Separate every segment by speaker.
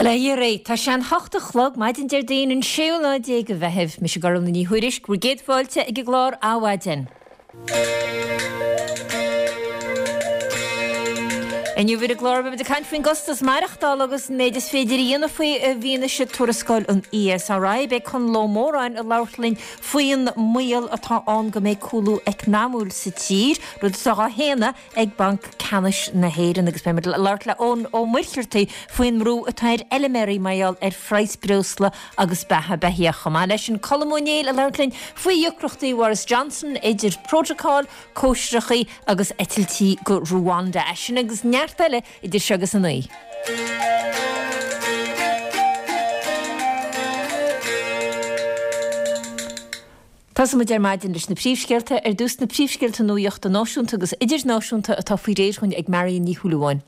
Speaker 1: Bhuel, a Dhia réidh, tá sé an hocht a chlog, maidin Déardaoin an séú lá déag de Mheitheamh. Mise Gormfhlaith Ní Thuairisg, bhur gcéad fáilte ag an gclár Adhmhaidin. Inniu ar an gclár beimid ag caint faoin gcostas maireachtála agus an méid is féidir a dhéanamh faoi i bhfianaise tuarascáil an ESRI. Beidh Conall Ó Móráin ag labhairt linn faoin mbaol atá ann go mbeidh cúlú eacnamúil sa tír, rud atá á shéanadh ag Banc Ceannais na hÉireann agus beimid ag labhairt le Eoin Ó Muircheartaigh faoin mbrú atá ar fheilméaraí mar gheall ar phraghas breosla agus beatha beithíoch. Chomh maith leis sin Colm Ó Néill ag labhairt linn faoi dheacrachtaí Bhoris Johnson idir prótocáil, cóisireachaí agus eitiltí go Ruanda. É sin agus neart eile idir seo agus a 9. Tosóidh muid ar maidin leis na príomhscéalta. Ar dtús na príomhscéalta nuachta náisiúnta agus idirnáisiúnta atá faoi réir dhúinn ag Marion Ní Shúilleabháin.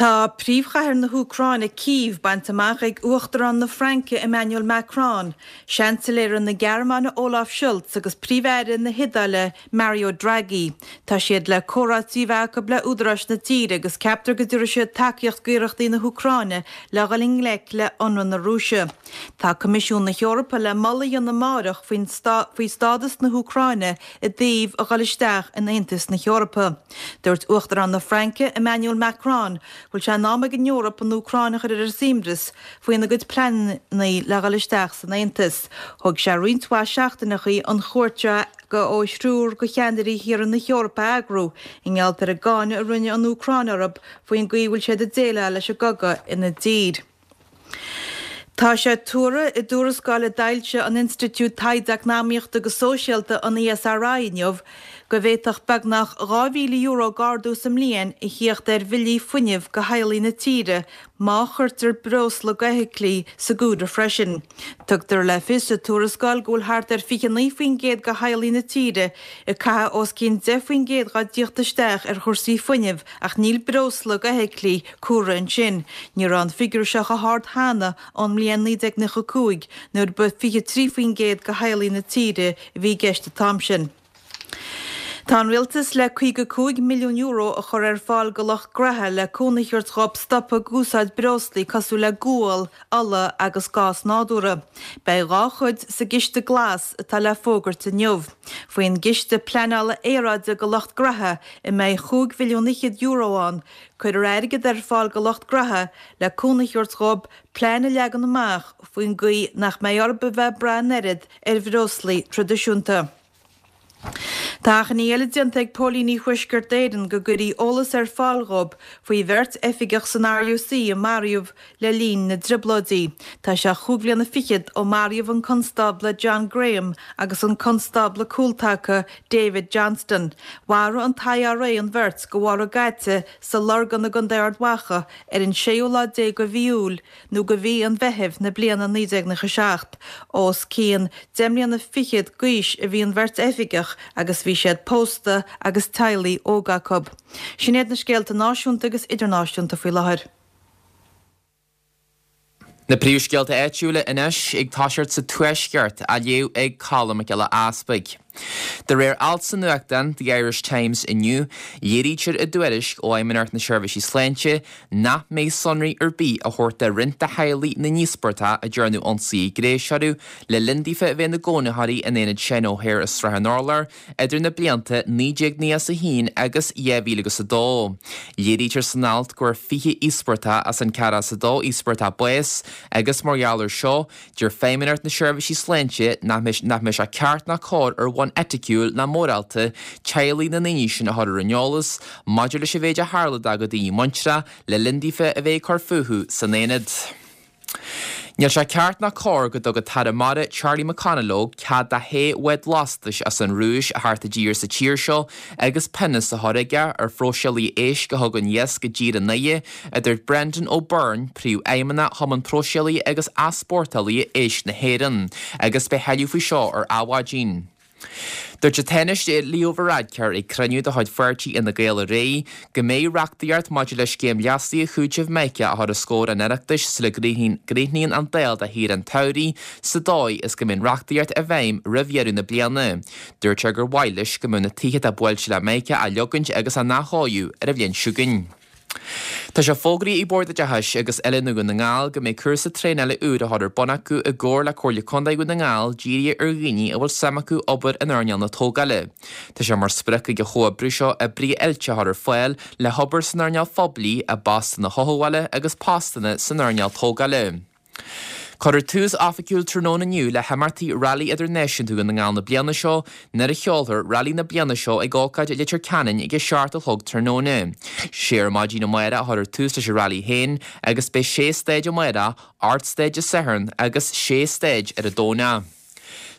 Speaker 2: Tá príomhchathair na hÚcráine, Cív, bainte amach ag Uachtarán na Fraince, Emmanuel Macron, Seansailéara na Gearmáine Olaf Scholz agus Príomh-Aire na hIodáile Mario Draghi. Tá siad le comhráití a bheith acu le údaráis na tíre agus ceaptar go dtabharfaidh siad tacaíocht d'iarrachtaí na hÚcráine le dhul i ngleic le hionradh na Rúise. Tá Coimisiún na hEorpa le moladh a dhéanamh amáireach faoi stádas na hÚcráine i dtaobh a dhul isteach in Aontas na hEorpa. Dúirt Uachtarán na Fraince, Emmanuel Macron, go bhfuil sé in am ag an Eoraip an Úcráin a chur ar a suaimhneas faoina gcuid pleananna le dhul isteach san Aontas. Thóg sé roinnt mhaith seachtaineachaí an chuairt seo ó thriúr de cheannairí thíortha na hEorpa a eagrú i ngeall ar an gcáineadh a rinne an Úcráin orthu faoin gcaoi a bhfuil siad ag déileáil leis an gcogadh ina dtír. Tá sé tuartha i dtuarascáil a d'fhoilsigh an Institiúid Taighde Eacnamaíochta agus Sóisialta, an ESRI, inniu go bhféadfadh beagnach €2,000 d'ardú sa mbliain a thíocht ar bhillí fuinnimh do theaghlaigh na tíre má chuirtear breosla d'fheithiclí sa gcomhaireamh freisin. Tugtar le fios sa tuarascáil go bhfuil thart ar 29% de theaghlaigh na tíre ag caitheamh os cionn 10% dá dtíocht isteach ar chúrsaí fuinnimh ach níl breosla d'fheithiclí curtha ansin. Ní raibh an figiúr seo chomh hard cheana ón mbliain 1995 nuair ba 23% de theaghlaigh na tíre a bhí i gceist an t-am sin. Tá an Rialtas le €55 milliún a chur ar fáil go lucht graithe le cúnamh a thabhairt dhóibh stopadh ag úsáid breoslaí cosúil le gual, ola agus gás nádúrtha. Beidh dhá chuid sa gCiste Glas atá le fógairt inniu. Faoin gCiste Pleanála Aeráide go lucht graithe, a mbeidh chúig mhilliún fhichead euro ann, Cuirfear airgead ar fáil go lucht graithe le cúnamh a thabhairt dhóibh plean a leagan amach faoin gcaoi nach mbeidh orthu a bheith ag brath an oiread ar bhreoslaí traidisiúnta. Tá achainí eile déanta ag póilíní Thuaisceart Éireann go gcuirfí eolas ar fáil dhóibh faoi bheirt oifigeach san RUC a maraíodh le linn na dTrioblóidí. Tá sé chúig bhliana fichead ó maraíodh an Constábla John Graham agus an Constábla Cúltaca David Johnston. Mharaigh an t-IRA an bheirt go mharbh gaite sa Lorgain i gContae Ard Mhacha ar an séú lá déag de mhí Iúil nó de mhí an Mheithimh na bliana 1997. Os cionn deich mbliana fichead d'aois a bhí an bheirt oifigeach agus bhí siad pósta agus teaghlaigh óga acu. Sin iad na scéalta náisiúnta agus idirnáisiúnta faoi láthair.
Speaker 3: Na príomhscéalta áitiúla anois ag toiseacht sa Tuaisceart, á léamh ag Colm Mac Giolla Easpaig. De réir alt sa nuachtán The Irish Times inniu, léirítear i dtuairisc ó Fheidhmeannacht na Seirbhísí Sláinte nach mbeidh sonraí ar bith á thabhairt do roinnt de theaghlaigh na n-íospartach a ndearnadh ionsaí gnéis orthu le linn daofa a bheith ina gcónaitheoirí in Aonad Seán O'Hare i Srath an Urláir idir na blianta 1991 agus 2002. Léirítear san alt go bhfuair 20 íospartach as an 42 íospartach bás agus mar gheall air seo, deir Feidhmeannacht na Seirbhísí Sláinte nach mbeadh sé ceart ná cóir ar bhonn eiticiúil ná mórálta teaghlaigh na ndaoine sin a chur ar an eolas maidir leis an mhéid a tharla dá gcuid daoine muintreach le linn daofa a bheith ag cur fúthu san aonad. Níl sé ceart ná cóir go dtug an tAire Mara Charlie McConalogue cead do shé bhád lastais as an Rúis a theacht i dtír sa tír seo agus pionós á chur aige ar phróiseálaithe éisc a thugann iasc i dtír an oidhe, a dúirt Brendan O'Byrne, Príomhfheidhmeannach Chumann Próiseálaithe agus Easpórtálaithe Éisc na hÉireann, agus beidh tuilleadh faoi seo ar Adhmhaidin. Dúirt an Tánaiste Leo Varadkar ag cruinniú de chuid pháirtí Fhine Gael aréir go mbeidh reachtaíocht maidir le scéim leasaithe chúitimh Mica á chur os comhair an Oireachtais sula gcríochnaíonn an Dáil do shaoire an tsamhraidh sa dóigh is go mbeidh an reachtaíocht i bhfeidhm roimh dheireadh na bliana. Dúirt sé gur mhaith leis go mbeadh na tithe atá buailte le Mica á leogaint agus á n-athchóiriú ar an bhliain seo chugainn. Tá sé fógraithe ag Bord Oideachais agus Oiliúna Dhún na nGall go mbeidh cúrsa traenála úr á chur ar bun acu i gcomhar le Comhairle Contae Dhún na nGall dírithe ar dhaoine a bhfuil suim acu obair in earnáil na tógála. Tá sé mar sprioc ag an chomhoibriú seo oibrithe oilte a chur ar fáil le hobair san earnáil phoiblí i bpostanna chothabhála agus postanna san earnáil tógála. Cuirfear tús oifigiúil tráthnóna inniu le himeachtaí Railí Idirnáisiúnta Dhún na nGall na bliana seo nuair a sheolfar Railí na bliana seo ag ócáid i Leitir Ceanainn ag a 7 a chlog tráthnóna. Sé ar maidin amárach a chuirfear tús leis an Railí féin agus beidh sé stáid amárach, 8 stáid Dé Sathairn agus sé stáid ar an Domhnach.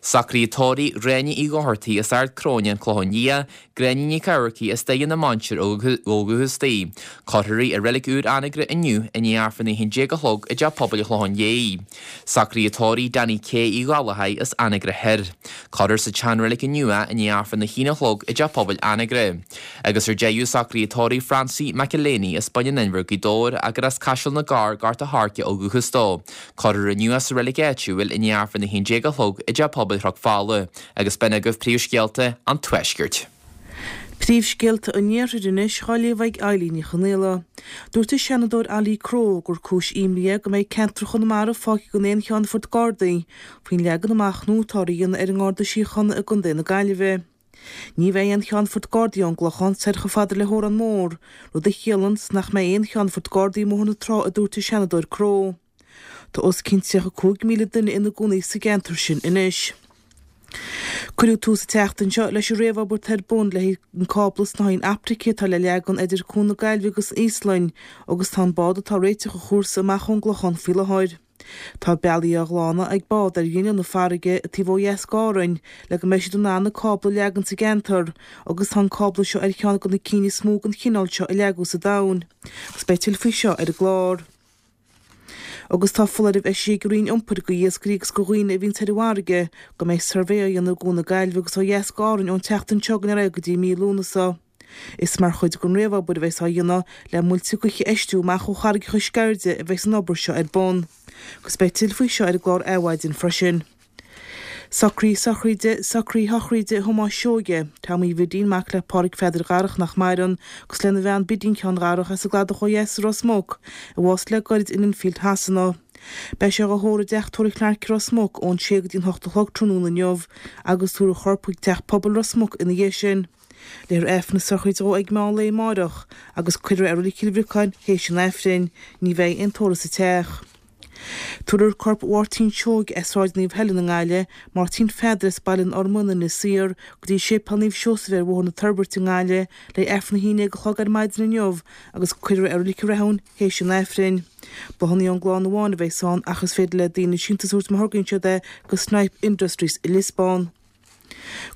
Speaker 3: Socruithe tórraimh Ghráinne Uí Dhochartaigh as Ard Cróine, An Clochán Liath, Gráinne Nic Eamharcaigh as Doire na Mainsear ó dhúchas di. Cuirfear í i reilig úr Anagaire inniu i ndiaidh Aifreann a 11 a chlog i dTeach Pobail an Chlocháin Léith. Socruithe tórraimh Danny K Uí Ghallchóir as Anagaire Thoir. Cuirfear sa tseanreilig inniu é i ndiaidh Aifreann a haon a chlog i dTeach Pobail Anagaire. Agus ar deireadh socruithe tórraimh Francie McElhaney as Baile an Inbhir Gaoth Dobhair ach gur as Caiseal na gCorr, Gort a' Choirce ó dhúchas dó. Cuirfear inniu é sa reilig áitiúil i ndiaidh Aifreann a 11 a chlog i dTeach Pobail Chnoc Fola agus b'in agaibh príomhscéalta an Tuaiscirt.
Speaker 4: Príomhscéalta an Iarthair anois á léamh ag Eilín Ní Chonaola. Dúirt an Seanadóir Ollie Crowe gur cúis imní é go mbeidh ceantar Chonamara fágtha gan aon cheannfort Gardaí faoin leagan amach nua atáthar a dhéanamh ar an nGarda Síochána i gContae na Gaillimhe. Ní bheidh aon cheannfort Gardaí ón gClochán soir chomh fada le hÓrán Mór, rud a chiallanns nach mbeidh aon cheannfort Gardaí i mBóthar na Trá a dúirt an Seanadóir Crowe. Tá os cionn 35,000 duine ina gcónaí sa gceantar sin anois. Cuireadh tús an tseachtain seo leis an réamhobair atá ar bun le haghaidh an cábla snáithín optaice atá le leagan idir Cuan na Gaillimhe agus an Íoslainn agus tá an bád atá ag réiteach an chúrsa amach ón gClochán faoi láthair. Tá bealaí á ghlanadh ag bád ar ghrinneall na farraige taobh ó dheas d'Árainn le go mbeidh siad in ann an cábla a leagan sa gceantar agus tá an cábla seo ar cheann de na cinn is mó den chineál seo a leagadh sa domhan. Agus beidh tuilleadh faoi seo ar an gclár. Agus tá foláireamh eisithe ag an Roinn Iompair go iascairí agus go dhaoine a bhíonns ar an bhfarraige go mbeidh suirbhé á dhéanamh i gCuan na Gaillimhe agus ó dheas d'Árainn ón tseachtain seo chugainn ar aghaidh go dtí mí Lúnasa. Is mar chuid den réamhobair a bheas á dhéanamh le muilte gaoithe a fheistiú amach ó Charraigeacha Sceirde a bheas an obair seo ar bun. Agus beidh tuilleadh faoi seo ar an gclár Adhmhaidin freisin. Socruithe sochraide Socruithe sochraide Thomáis Seoige, Tommy Bhidín, mac le Pádhraic Pheadair Dharach nach maireann, agus lena bhean Bidín Sheáin Dharach as an gCladach ó dheas i Ros Muc, a bhásaigh le goirid in Enfield Shasana. Beidh sé dhá thórramh i dTeach Tórraimh Chlarke i Ros Muc ón sé go dtí an hocht a chlog tráthnóna inniu agus tabharfar a chorp chuig Teach Pobail Ros Muc ina dhiaidh sin. Léifear Aifreann na sochraide dhó ag meán lae amáireach agus cuirfear é i Reilig Chill Bhriocáin théis an Aifrinn. Ní bheidh aon tórramh sa teach. Tabharfar corp Mháirtín Seoige as Sráid Naomh Helen i nGaillimh, Máirtín Pheadair as Baile an Fhormain, Inis Oírr, go dtí Séipéal Naomh Seosamh ar Bhóthar na Toirbhirte i nGaillimh le Aifreann a haon déag a chlog ar maidin inniu agus cuirfear é i Reilig an Rathúin théis an Aifrinn. Bláthanna ón gclann amháin a bheas ann ach is féidir le daoine síntiús a thabhairt má thograíonn siad é go Snipe Industries i Liosbán.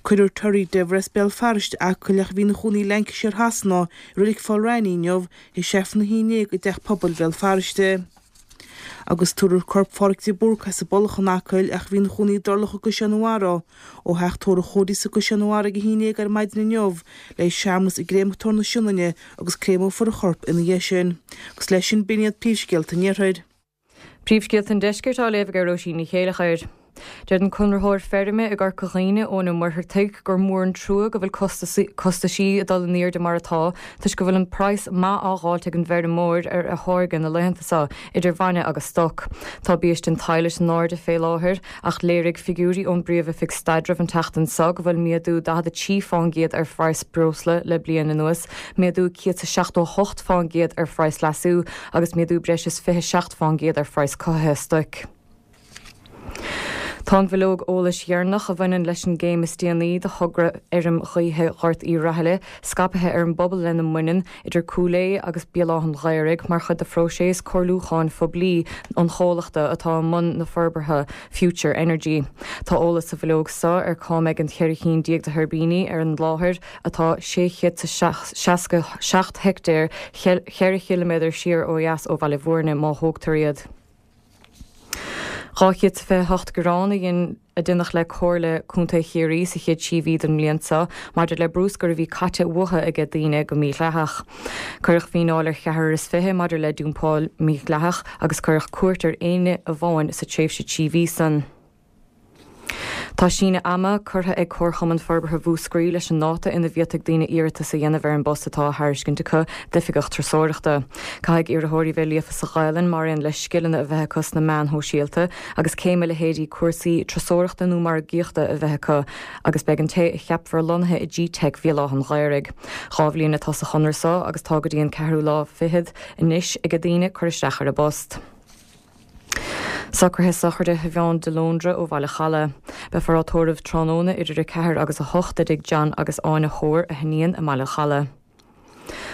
Speaker 4: Cuirfear Terry Dever as Béal Feirste, Acaill ach a bhí ina chónaí i Lancashire Shasana, i Reilig Pholl Raithní inniu, théis Aifreann a haon déag i dTeach Pobail Bhéal Feirste. Agus tabharfar corp Pháraic de Búrca as an bPollach in Acaill ach a bhí ina chónaí i dTurloch i gCaisleán an Bharraigh, ó theach tórraimh Chody's i gCaisleán an Bharraigh ag a haon déag ar maidin inniu le haghaidh searmanas i gCréamatóir na Sionainne agus créamófar a chorp ina dhiaidh sin. Agus leis sin b'in iad príomhscéalta an Iarthair.
Speaker 5: Príomhscéalta an Deiscirt á léamh ag Róisín Ní Chéileachair. Deir an conraitheoir feirme i gCorca Dhuibhne, Eoin Ó Muircheartaigh, gur mór an trua go bhfuil costaisí ag dul in airde mar atá toisc go bhfuil an praghas maith á dh'fháilt ag an bhfeirmeoir ar a tháirge na laethanta seo, idir bhainne agus stoc. Tá biaiste an tsadhlais in airde fé láthair ach léirigh figiúirí ón bPríomh-Oifig Staidrimh an tseachtain seo go bhfuil méadú 43 fán gcéad ar phraghas breosla le bliain anuas, méadú 178 fán gcéad ar phraghas leasú agus méadú breis is 27 fán gcéad ar phraghas cothaithe stoic. Tá an bhileog eolais dheireanach a bhaineann leis an gcéim is déanaí de thogra fheirm ghaoithe Ghort Uí Rathaille scaipthe ar an bpobal lena mbaineann, idir Cúil Aodha agus Béal Átha'n Ghaorthaidh, mar chuid de phróiseas comhairliúcháin phoiblí an chomhlachta atá i mbun na forbartha, Future Energy. Tá eolas sa bhileog seo ar cá mbeidh an 14 cinn de thuirbíní ar an láthair, atá 667 heictéar, 4 chiliméadar siar ó dheas ó Bhaile Bhúirne, má thógtar iad. 228 gearán a dhein a deineadh le Comhairle Contae Chiarraí sa chéad trí mhí den mbliain seo maidir le brúscar a bhí caite uathu aige daoine go mídhleathach. Cuireadh fíneáil ar cheathrar is fiche maidir le dumpáil mhídhleathach agus cuireadh cúirt ar éinne amháin sa tréimhse 3 mhí san. Tá síneadh ama curtha ag Comharchumann Forbartha Mhúscraí leis an ndáta ina bhféadfaidh daoine iarratas a dhéanamh ar an bpost atá á thairiscint acu d'Oifigeach Turasóireachta. Caithfidh iarrthóirí bheith líofa sa Ghaelainn mar aon le scileanna a bheith acu sna meáin shóisialta agus céim i leithéidí cúrsaí turasóireachta nó margaíochta a bheith acu agus beidh an té a cheapfar lonnaithe i G-Teic Bhéal Átha an Ghaorthaidh. 2 bhliain atá sa chonradh seo agus tá go dtí an ceathrú lá fichead anois ag daoine cur isteach ar an bpost. Socruithe sochraide Shiobhán de Lóndra ó Bhaile Chalaidh. Beifear á tórramh tráthnóna idir 4 agus 8 i dtigh John agus Áine Hoare, a hiníon, i mBaile Chalaidh.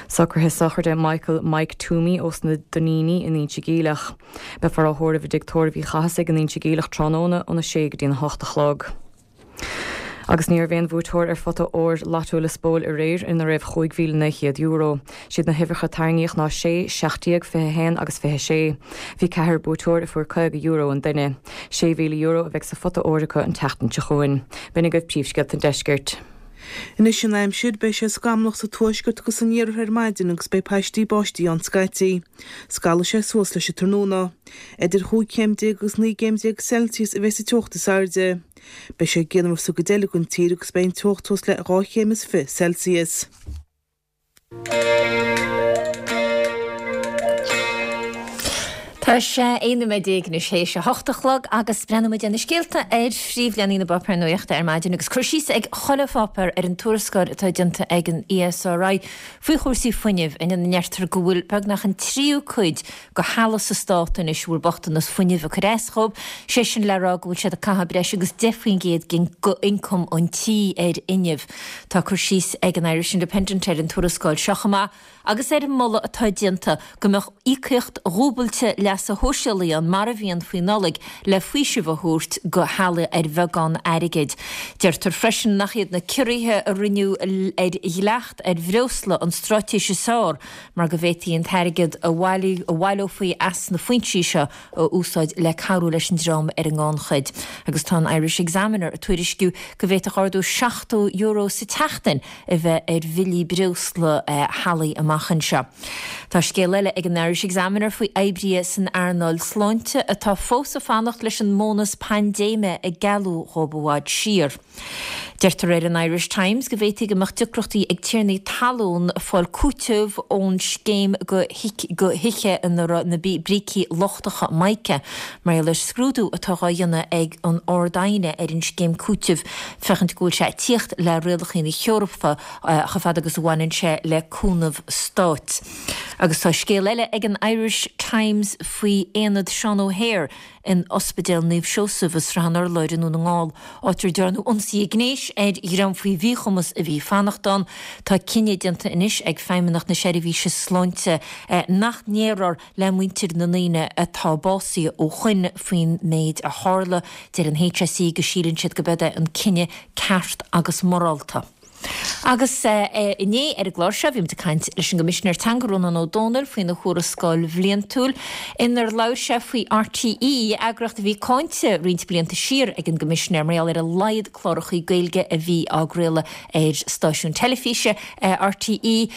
Speaker 5: Socruithe sochraide Michael Mike Toomey ós na Duinníní in Inse Geimhleach. Beifear á thórramh i dtigh tórraimh Uí Chathasaigh in Inse Geimhleach tráthnóna óna 6 go dtí'n 8 a chlog. Agus ní raibh aon bhuaiteoir ar phota óir Lotto Lios Póil aréir ina raibh €5,900. Siad na huimhreacha a tarraingíodh ná 6, 17, 21 agus 26. Bhí ceathrar buaiteoir a fuair €50 an duine. €6,000 a bheidh sa phota óir acu an tseachtain seo chugainn. B'in agaibh príomhscéalta an deiscirt.
Speaker 4: Anois an aimsir, beidh sé scamallach sa tuaisceart agus san iarthar ar maidin agus beidh paistí báistí ann scaití. Scalfaidh sé suas leis an tráthnóna. Idir chúig chéim déag agus naoi gcéim déag Celsius a bheidh sa teocht is airde. Beidh sé grianmhar sa gcuid eile den tír agus beidh an teocht suas le 2 chéim is 20 Celsius.
Speaker 1: Tá sé 11 nóiméad anois théis a hocht a chlog agus breathnóidh muid ar na scéalta ar phríomhleathanaigh na bpáipéar nuachta ar maidin agus cur síos ag chuile pháipéar ar an tuarascáil atá déanta ag an ESRI faoi chúrsaí fuinnimh ina ndeirtear go bhfuil beagnach an tríú cuid de theaghlaigh sa stát anois a bhfuil bochtanas fuinnimh ag cur as dhóibh, sé sin le rá go bhfuil siad ag caitheamh breis agus 10% den ioncam an tí ar fhuinneamh. Tá cur síos ag an Irish Independent ar an tuarascáil seo chomh maith agus ar an moladh atá déanta go mbeadh íocaíocht dhúbailte leasa shóisialaigh ann mar a bhíonn faoi Nollaig le faoiseamh a thabhairt do theaghlaigh ar bheagán airgid. Deirtear freisin nach iad na ciorruithe a rinneadh ar dhleacht ar bhreosla an straitéis is fearr mar go bhféadfaí an t-airgead a bhaileofaí as na foinsí seo a úsáid le cabhrú leis an dream ar an ngannchuid. Agus tá an Irish Examiner ag tuairisciú go bhféadfadh ardú €70 sa tseachtain a bheith ar bhillí breosla theaghlaigh amach anseo. Tá scéal eile ag an Irish Examiner faoi oibrithe san earnáil sláinte atá fós ag fanacht leis an mbónas paindéime a gealladh dhóibh i bhfad siar. Deirtear ar an Irish Times go bhféadfaí go mbeadh deacrachtaí ag tiarnaí talún fáil cúiteamh ón scéim do thithe ina raibh na brící lochtacha mica mar gheall ar scrúdú atá dhá dhéanamh ag an Ard-Aighne ar an scéim cúitimh féachaint go bhfuil sé ag tíocht le rialacha na hEorpa chomh fada agus a bhaineann sé le cúnamh stáit. Agus tá scéal eile ag an Irish Times faoi Aonad Seán O'Hare in Ospidéal Naomh Seosamh i Srath an Urláir i nDún na nGall, áit ar dearnadh ionsaithe gnéis ar dhream faoi mhíchumas a bhí ag fanacht ann. Tá cinneadh déanta anois ag Feidhmeannacht na Seirbhíse Sláinte nach ndéarfar le muintir na ndaoine atá básaithe ó shoin faoin méid a tharla. Deir an HSE go síleann siad go b'eod é an cinneadh ceart agus morálta. Agus inné ar an gclár seo bhí muid ag caint leis an gCoimisinéir Teanga Rónán Ó Domhnaill faoina thuarascáil bhliantúil inar labhair sé faoi RTÉ, eagraíocht a bhí cáinte roinnt blianta siar ag an gCoimisinéir mar gheall ar a laghad clárachaí Gaeilge a bhí á gcraoladh ar stáisiún teilifíse RTÉ.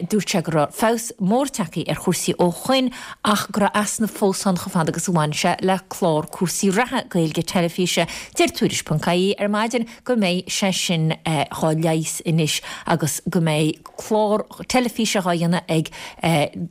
Speaker 1: Dúirt sé go raibh feabhas mór tagtha ar chúrsaí ó shoin ach go raibh easnamh fós ann chomh fada agus a bhain sé le clár cúrsaí reatha Gaeilge teilifíse. Deir Tuairisc.ie ar maidin go mbeidh sé sin dhá leigheas anois agus go mbeidh clár teilifíse dhá dhéanamh ag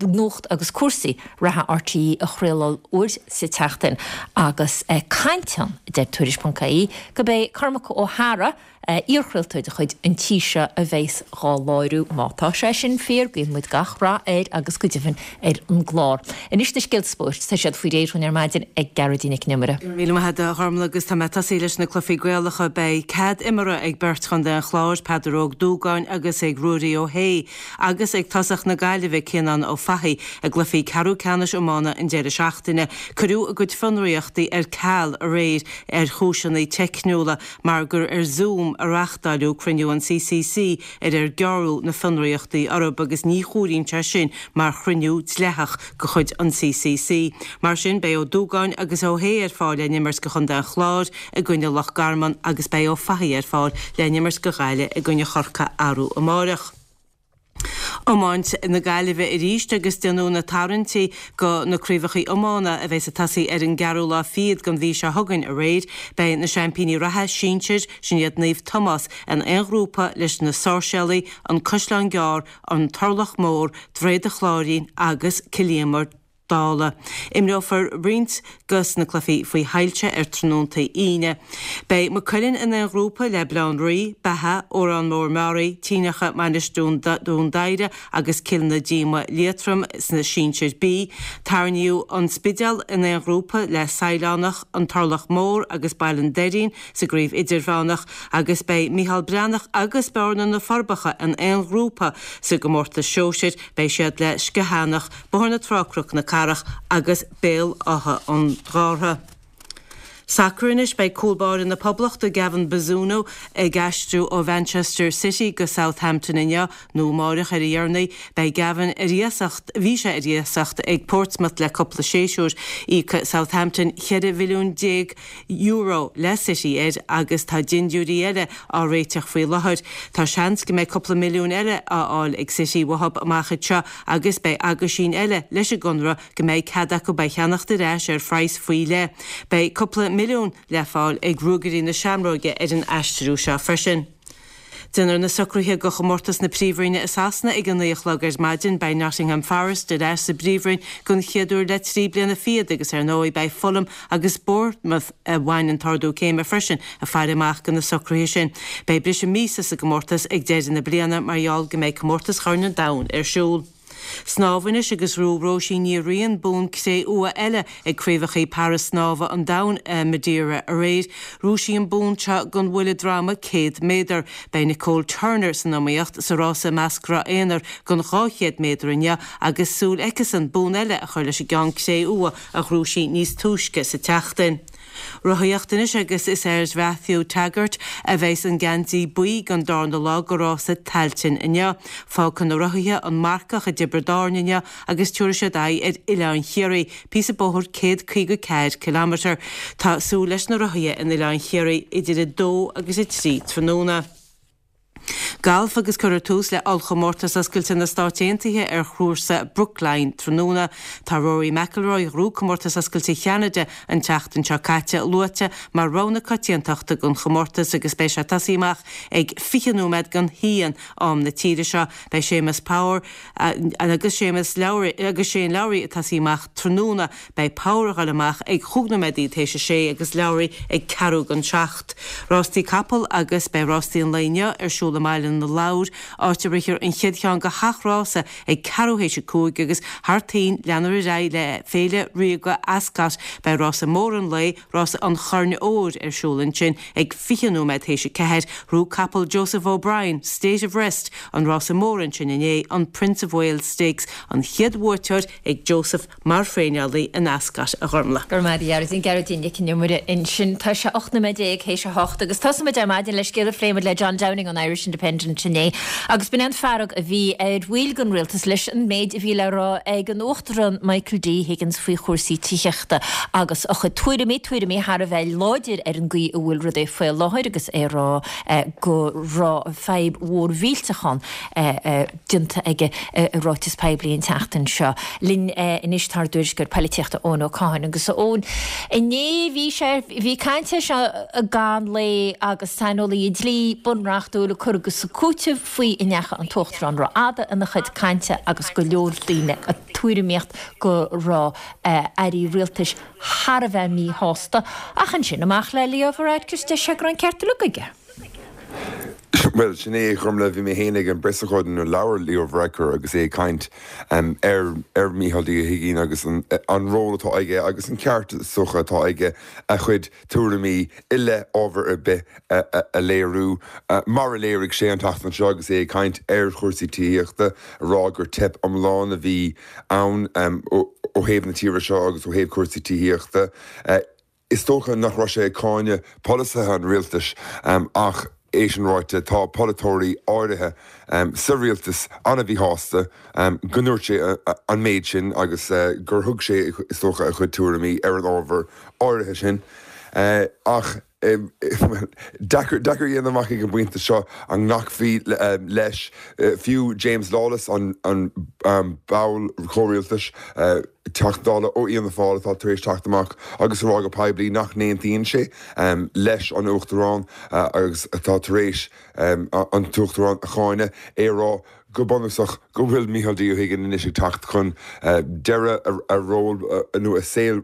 Speaker 1: Nuacht agus Cúrsaí Reatha RTÉ a chraoladh uair sa tseachtain agus caint ann, a deir Tuairisc.ie, go b'é Cormac Ó hEadhra, iarchraoltóir de chuid an tí seo a bheas dhá láithriú. Má tá sé sin fíor, guíonn muid gach rath air agus go deimhin ar an gclár. Anois na scéalta spóirt, tá siad faoi réir dhúinn ar maidin ag Gearóidín Nic an Iomaire.
Speaker 6: Go raibh míle maith agat a Ghormlaith agus tá mé ag tosaí leis na cluichí Gaelacha. Beidh cead imeartha ag beirt chontae an Chláir, Peadar Óg Dúgáin agus ag Ruairí Ó hAodha agus ag tosach na Gaillimhe, Cianán Ó Fathaigh i gcluichí ceathrú ceannais iomána an deireadh seachtaine. Cuireadh a gcuid fionraíochtaí ar ceal aréir ar chúiseanna teicniúla mar gur ar Zoom a reáchtáileadh cruinniú an CCC ar ar gearradh na fionraíochtaí orthu agus ní chomhairíonn sé sin mar chruinniú dleathach de chuid an CCC. Mar sin, beidh Ó Dúgáin agus Ó hAodha ar fáil le n-imirt do chontae an Chláir i gcoinne Loch Garman agus beidh Ó Fathaigh ar fáil le n-imirt do Ghaillimh i gcoinne Chorcaí arú amáireach. Iomáint na Gaillimhe arís agus déanadh na tarraingtí go na craobhacha iomána a bheas ag tosaí ar an gceathrú lá fichead den mhí seo chugainn aréir. Beidh na seaimpíní reatha sinsir, sin iad Naomh Tomás, in aon ghrúpa leis na Sáirséalaigh, An Caisleán Gearr, An Turlach Mór, Droichead an Chláirín agus Cill Íomair Dála. Imreofar roinnt dos na cluichí faoi shoilse ar tráthnóntaí Aoine. Beidh Maigh Cuilinn in aon ghrúpa le Baile Átha an Rí, Beatha, Órán Mór Meáraí, Tinacha, Mainistir Dún Doighre agus Cill na Díoma Liatroim sna Sinsir B. Tarraingíodh An Spidéal in aon ghrúpa le Saighleánach, An Turlach Mór agus Baile an Doirín sa gcraobh Idirmheánach agus beidh Micheál Breathnach agus Bearna na Forbacha in aon ghrúpa sa gcomórtas Sóisir. Beidh siad le Sciathánach, Bóthar na Trá Cnoc na Cathrach agus Béal Átha an Ghártha. Sacar anois, beidh cúl báire na Poblachta Gavin Bazunu ag aistriú ó Mhanchester City go Southampton inniu nó amáireach ar a dheireanaí. Beidh Gavin ar iasacht, bhí sé ar iasacht ag Portsmouth le cúpla séasúr. Íocfaidh Southampton €14 mhilliún le City air agus tá dindiúirí eile á réiteach faoi láthair. Tá seans go mbeidh cúpla milliún eile á fháil ag City uathu amach anseo agus beidh aguisín eile leis an gconradh go mbeidh cead acu é cheannacht ar ais ar phraghas faoi leith. Beidh cúpla milliún le fáil ag Ruagairí na Seamróige ar an aistriú seo freisin. Déanfar na socruithe do chomórtas na Príomhroinne i Sasana ag a 9 a chlog ar maidin. Beidh Nottingham Forest ar ais sa bPríomhroinn don chéad uair le 3 bliana fichead agus ar ndóigh beidh Fulham agus Bournemouth, a bhain an t-ardú céime freisin, ag faire amach do na socruithe sin. Beidh briseadh míosa sa gcomórtas ag deireadh na bliana mar gheall go mbeidh Comórtas Chorn an Domhain ar siúl. Snámh anois agus ghnóthaigh Róisín Ní Riain bonn cré-umha eile ag Craobhacha Para-Snámha an Domhain i Madeira aréir. Ghnóthaigh sí an bonn seo don bhuille droma 100 méadar. Beidh Nicole Turner san iomaíocht sa rása measctha aonair don 200 méadar inniu agus súil aicisean bonn eile a chur leis an gceann cré-umha a ghnóthaigh sí níos túisce sa tseachtain. Rothaíocht anois agus is ar Matthew Teggart a bheas an geansaí buí don darna lá de rása Tailteann inniu. Fágfaidh na rothaithe an Marcach i dTiobraid Árann inniu agus tabharfaidh siad aghaidh ar Oileán Chiarraí, píosa bóthair 154 kilometre. Tá súil leis na rothaithe in Oileán Chiarraí idir 2 agus 3 tráthnóna. Galf agus cuirfear tús le Ollchomórtas Oscailte na Stáit Aontaithe ar chúrsa Brookline tráthnóna. Tá Rory McIlroy, a ghnóthaigh Comórtas Oscailte Cheanada an tseachtain seo caite, luaite mar rogha na coitiantachta don chomórtas agus beidh sé ag tosaí amach ag 20 nóiméad don haon, am na tíre seo. Beidh Séamus Power agus Séamus Lowry agus Shane Lowry ag tosaí amach tráthnóna. Beidh Power ag dul amach ag chúig nóiméadaí théis a sé agus Lowry ag ceathrú don seacht. Rástaí capall agus beidh rástaí an lae inniu ar siúl i mBaile na Lobhar, áit a rithfear an chéad cheann de sheacht rása ag ceathrú théis a cúig agus thar toinn leanfar ar aghaidh le Féile Ríoga Ascot. Beidh rása mór an lae, rása an Choirn Óir, ar siúl ansin ag 20 nóiméad théis a ceathair. Ghnóthaigh capall Joseph O'Brien, State of Rest, an rása mór ansin inné, an Prince of Wales Stakes, an chéad bhuaiteoir ag Joseph mar thraenálaí in Ascot, a Ghormlaith.
Speaker 1: Go raibh maith agat, a Ghearóidín. Gearóidín Nic an Iomaire ansin. Tá sé 18 nóiméad théis a hocht agus tosóidh muid ar maidin le scéal a phléigh muid le John Downing ón Irish Independent inné agus b'in é an fearg a bhí ar bhaill den rialtas leis an méid a bhí le rá ag an Uachtarán Michael D Higgins faoi chúrsaí tithíochta agus a chuid tuairimí, tuairimí thar a bheith láidir ar an gcaoi a bhfuil rudaí faoi láthair agus é ag rá go raibh fadhb mhór mhillteach ann. déanta aige i ráiteas poiblí an tseachtain seo. Linn anois tá ár dtuairisceoir poilitíochta Eoin Ó Catháin agus a Eoin, inné bhí sé, bhí caint air seo i gcaitheamh an lae agus saineolaí dlí bunreachtúil ag cur agus ag cúiteamh faoi a ndeachaigh an tUachtarán rófhada ina chuid cainte agus go leor daoine ag tuairimíocht go raibh airí rialtais thar a bheith míshásta ach ansin amach le Leo Varadkar is deir sé go raibh an ceart uilig aige.
Speaker 7: Bhuel, sin é, a Ghormlaith, bhí mé féin ag an bpreasócáid nuair a labhair Leo Varadkar agus é ag caint ar ar Mícheál D. Ó hUiginn agus an ról atá aige agus an ceart is dócha atá aige a chuid tuairimí i leith ábhar ar bith a léiriú, mar a léirigh sé an tseachtain seo agus é ag caint ar chúrsaí tithíochta, a rá gur teip iomlán a bhí ann ó thaobh na tíre seo agus ó thaobh cúrsaí tithíochta. Is dócha nach raibh sé ag cáineadh polasaithe an rialtais ach é sin ráite tá polaiteoirí áirithe sa rialtas an-mhíshásta go ndúirt sé an méid sin agus gur thug sé, is dócha, a chuid tuairimí ar an ábhar áirithe sin. Ach deacair a dhéanamh amach ag an bpointe seo an nglacfaí leis. Fiú James Lawless, an ball comhrialtais, Teachta Dála ó Fhianna Fáil atá tar éis teacht amach agus a rá go poiblí nach n-aontaíonn sé leis an Uachtarán agus atá tar éis an tUachtarán a cháineadh, é a rá go bunúsach go bhfuil Micheál D Ó hUiginn anois ag teacht chun deireadh a ról nó a saol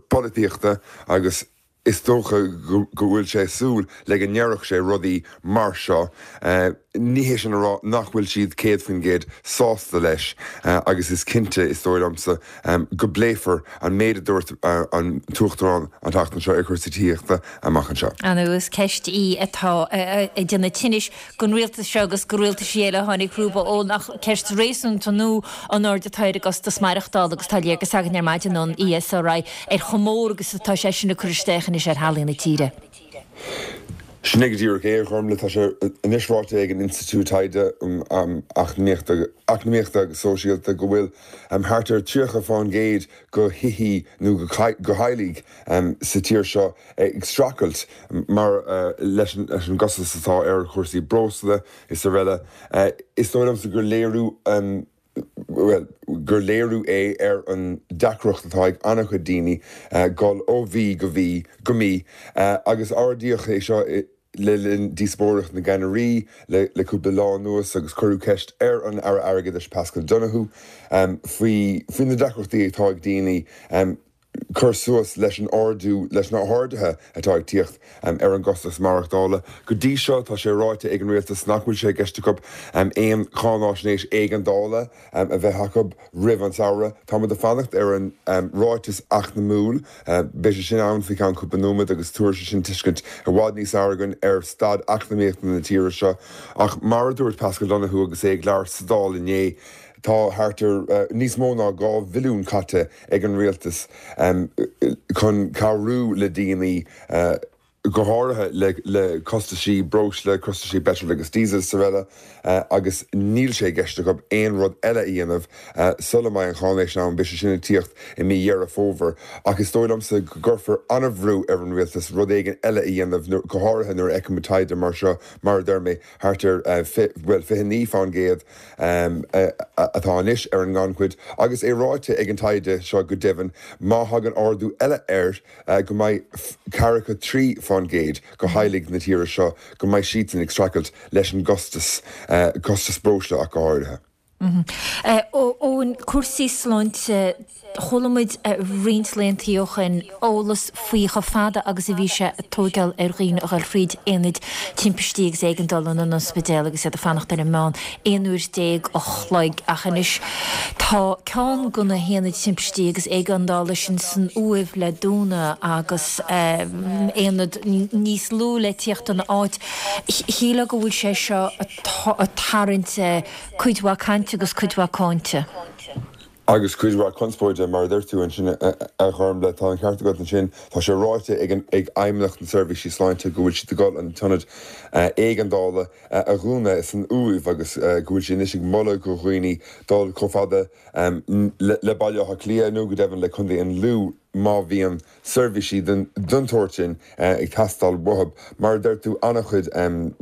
Speaker 7: polaitíochta agus is dócha go bhfuil sé ag súil le go ndéarfadh sé rudaí mar seo. Ní hé sin a rá nach bhfuil siad 100% sásta leis agus is cinnte, is dóigh liomsa, go bpléifear an méid a dúirt an tUachtarán an tseachtain seo ar chúrsaí tithíochta amach anseo.
Speaker 1: Ar ndóigh is ceist í atá ag déanamh tinnis don rialtas seo agus do rialtaisí eile a tháinig rompu Eoin ach ceist réasúnta nua an airde atá ar an gcostas maireachtála agus tá léargas againn ar maidin ón ESRI ar chomh mór agus atá sé sin ag cur isteach anois ar theaghlaigh na tíre.
Speaker 7: Sin é go díreach é, a Ghormlaith. Tá sé anois ráite ag an Institiúid Taighde um Eacnamaíochta agus Sóisialta go bhfuil thart ar 30 fán gcéad de thithí nó de theaghlaigh sa tír seo ag streachailt mar leis an gcostas atá ar chúrsaí breosla is araile. Is dóigh liomsa gur léiriú, bhuel, gur léiriú é ar an deacracht atá ag an-chuid daoine dul ó mhí go mhí go mí agus ardaíodh é seo le linn díospóireacht na gceannairí le cúpla lá anuas agus cuireadh ceist ar an Aire Airgeadais Paschal Donohoe faoi faoi na deacrachtaí atá ag daoine cur suas leis an ardú, leis na harduithe atá ag tíocht ar an gcostas maireachtála. Go dtí seo tá sé ráite ag an rialtas nach bhfuil sé i gceist acu aon cháináisnéis éigeandála a bheith acu roimh an samhradh. Táimid ag fanacht ar an ráiteas eacnamúil. Beidh sé sin ann faoi cheann cúpla nóiméad agus tabharfaidh sé sin tuiscint i bhfad níos fearr againn ar staid eacnamaíochta na tíre seo. Ach mar a dúirt Paschal Donohoe agus é ag labhairt sa Dáil inné, tá thart ar níos mó ná 2 bhilliún caite ag an rialtas chun cabhrú le daoine, go háirithe le costaisí breosla, costaisí peitril agus díosail is araile, agus níl sé i gceist acu aon rud eile a dhéanamh sula mbeidh an cháinéis ann. Beidh sé sin ag tíocht i mí Dheireadh Fómhair. Ach is dóigh liomsa go gcuirfear an-bhrú ar an rialtas rud éigin eile a dhéanamh, go háirithe nuair a fheicimid taighde mar seo, mar a deir mé, thart ar, bhuel, 29% atá anois ar an ngannchuid, agus é ráite ag an taighde seo go deimhin, má thagann ardú eile air, go mbeidh ceathracha 3 fán gcéad de theaghlaigh na tíre seo, go mbeidh siadsan ag streachailt leis an gcostas, costas breosla ach go háirithe.
Speaker 1: Eoin, cúrsaí sláinte, chuala muid roinnt laethanta ó shin eolas faoi chomh fada agus a bhí sé ag tóigeáil ar dhaoine a dhul thríd aonaid timpistí agus éigeandála in an ospidéal agus iad ag fanacht ar an meán 11 uair a chloig ach anois tá ceann de na haonaid timpistí agus éigeandála sin san Uaimh le dúnadh agus aonad níos lú le tíocht ina áit. Shílfeá go bhfuil sé seo ag tarraingt cuid mhaith cainte agus cuid mhaith cáinte.
Speaker 7: Agus cuid mhaith conspóide, mar a deir tú ansin, a Ghormlaith. Tá an ceart agat ansin. Tá sé ráite ag ag Fheidhmeannacht na Seirbhísí Sláinte go bhfuil siad ag dul an t-ionad éigeandála a dhúnadh san Uaimh agus go bhfuil siad anois ag moladh do dhaoine dul chomh fada le Baile Átha Cliath nó go deimhin le Contae an Lú má bhíonn seirbhísí den tsórt sin ag teastáil uathu. Mar a deir tú, an-chuid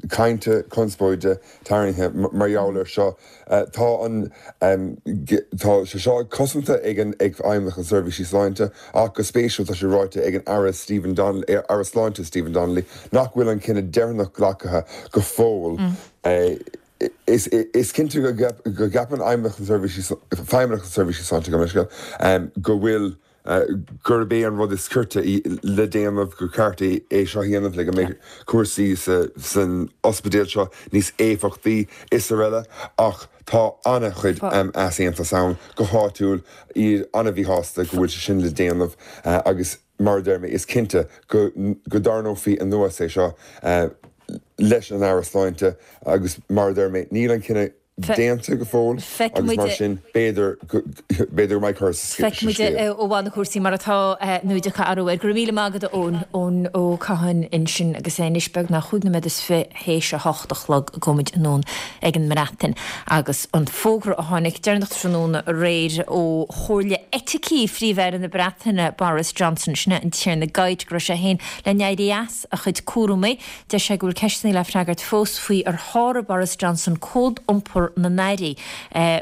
Speaker 7: cainte, conspóide tarraingthe mar gheall air seo. Tá an, tá sé seo cosanta ag an, ag Feidhmeannacht na Seirbhísí Sláinte ach go spéisiúil tá sé ráite ag an Aire Stephen Donnelly, Aire Sláinte Stephen Donnelly nach bhfuil an cinneadh deireanach glactha go fóill. Is cinnte go gceapann Feidhmeannacht na Seirbhísí, Feidhmeannacht na Seirbhísí Sláinte, gabh mo leithscéal, go bhfuil gurb é an rud is cirte le déanamh, gur ceart é seo a dhéanamh le go mbeidh cúrsaí san ospidéal seo níos éifeachtaí is araile ach tá an-chuid easaontas ann go háitiúil, iad an-mhíshásta go bhfuil sé sin le déanamh agus mar a deir mé is cinnte go dtarraingeofaí anuas é seo leis an Aire Sláinte agus mar a deir mé níl an cinneadh. déanta go fóill agus mar sin b'fhéidir b'fhéidir go mbeidh cor sa
Speaker 1: scéal. Feicfidh muid ó bhain na cúrsaí mar atá nó an dtiocfaidh athrú air. Go raibh míle maith agat a Eoin, Eoin Ó Catháin ansin agus é anois beagnach chúig nóiméad is fi théis a hocht a chlog gabhfaidh muid anonn ag an mBreatain agus an fógra a tháinig deireanach tráthnóna aréir ó Chomhairle Eiticí Phríomh-Aire na Breataine Boris Johnson, sin é an Tiarna Geidt, go raibh sé féin le n-éirí as a chuid cúramaí. Deir sé go bhfuil ceisteanna le freagairt fós faoi ar sháraigh Boris Johnson cód iompair na n-airí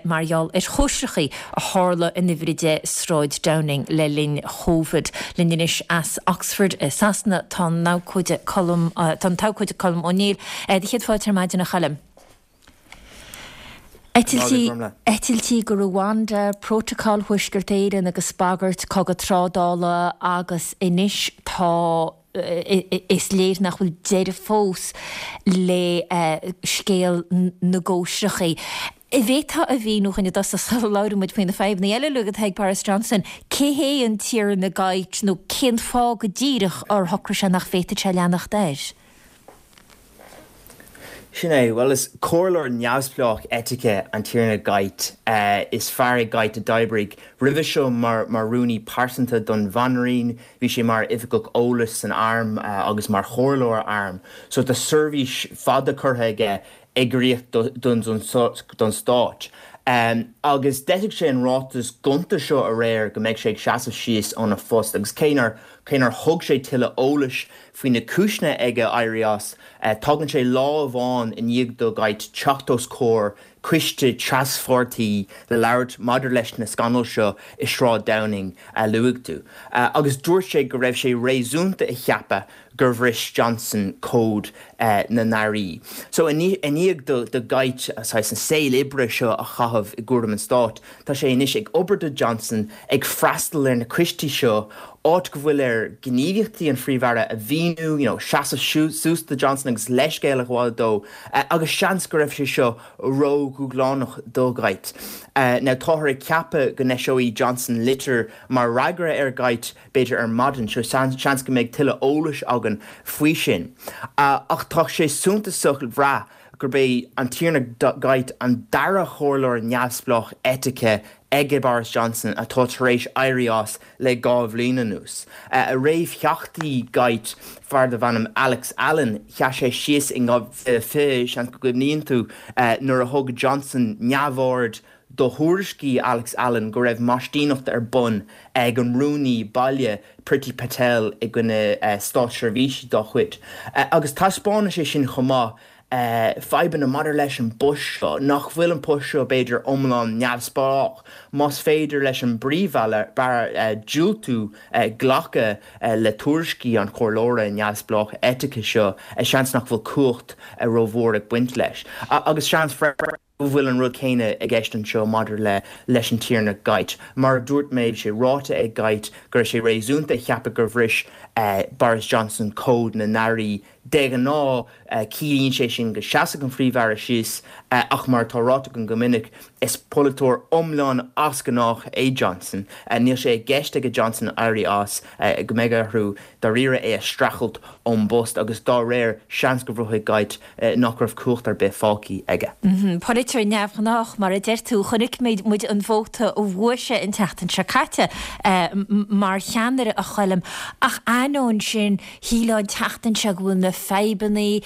Speaker 1: mar gheall ar chóisreachaí a tharla in Uimhir 10 Sráid Downing le linn Covid. Linn anois as Oxford i Sasana tá an abhcóide Colm tá an t-abhcóide Colm Ó Néill. Do chéad fáilte ar maidin a Choilm. Eitiltí eitiltí go Rwanda, Prótacal Thuaisceart Éireann agus bagairt cogadh trádála agus anois tá is léir nach bhfuil deireadh fós le scéal na gcóisreachaí. An bhféadfá a mhíniú dhúinn i dtosach sula labhraíonn muid faoi na fadhbanna eile uilig atá ag Boris Johnson, cé hé an Tiarna Geidt nó cén fáth go díreach ar shocraigh sé nach bhféadfadh sé leanacht air?
Speaker 8: Sin é. Bhuel, is comhairleoir neamhspleách eitice an Tiarna Geidt. Is fear é Geidt a d'oibrigh roimhe seo mar rúnaí pearsanta don Bhanríon. Bhí sé mar oifigeach eolais san arm agus mar chomhairleoir airm. So tá seirbhís fada curtha aige ag obair don stát. Agus d'eisigh sé an ráiteas gonta seo aréir go mbeidh sé ag seasamh síos óna phost agus cé nár cé nár thug sé tuilleadh eolais faoi na cúiseanna aige éirí as, tagann sé lá amháin i ndiaidh do Geidt teacht os comhair coiste traspháirtí le labhairt maidir leis na scannail seo i Sráid Downing a luaigh tú. Agus dúirt sé go raibh sé réasúnta a cheapadh gur bhris Johnson cód na n-airí. So i ndiaidh do Geidt saghas an saol oibre seo a chaitheamh i gcúram an stáit, tá sé anois ag obair do Johnson, ag freastal ar na coistí seo, áit go bhfuil air gníomhaíochtaí an Phríomh-Aire a mhíniú, you know, seasamh suas do Johnson agus leithscéal a ghabháil dó, agus seans go raibh sé seo ró-dhúshlánach do Geidt. Now táthar ag ceapadh go n-eiseoidh Johnson litir mar fhreagra ar Geidt, b'fhéidir ar maidin, so seans go mbeidh tuilleadh eolais againn faoi sin. Ach tá sé suntasach a bhrath gurb é an Tiarna Geidt an dara chomhairleoir neamhspleách eitice ag Boris Johnson atá tar éis éirí as le 2 bhliain anuas. A réamhtheachtaí Geidt, fear darbh ainm Alex Allan, sheas sé síos in 2020, seans go gcuimhníonn tú, nuair a thug Johnson neamhaird do thuairiscí Alex Allan go raibh maistíneacht ar bun ag an rúnaí baile Priti Patel i gcoinne státseirbhísigh dá chuid. Agus taispeánann sé sin chomh maith fadhbanna maidir leis an bpost seo, nach bhfuil an post seo b'fhéidir iomlán neamhspleách. Más féidir leis an bPríomh-Aire diúltú glacadh le tuairiscí an chomhairleora neamhspleách eitice seo, seans nach bhfuil cumhacht rómhór ag baint leis. Agus seans freisin. go bhfuil an rud céanna i gceist anseo maidir le leis an Tiarna Geidt. Mar a dúirt mé, bhí sé ráite ag Geidt go raibh sé réasúnta a cheapadh gur bhris Boris Johnson cód na n-airí. De ghnáth, ciallaíonn sé sin go seasfadh an Phríomh-Aire síos, ach mar atá ráite agam go minic, is polaiteoir iomlán as gnách é Johnson. Níl sé i gceist aige Johnson éirí as, go mbeidh orthu dáiríre é a streachailt ón bpost agus dá réir, seans go bhruthaigh Geidt nach raibh cumhacht ar bith fágtha aige.
Speaker 1: Polaiteoir neamhghnách, mar a deir tú. Chonaic muid an vóta a bhuaigh sé an tseachtain seo caite mar cheannaire, a Choilm. Ach ainneoin sin, shílfeá an tseachtain seo go bhfuil na fadhbanna,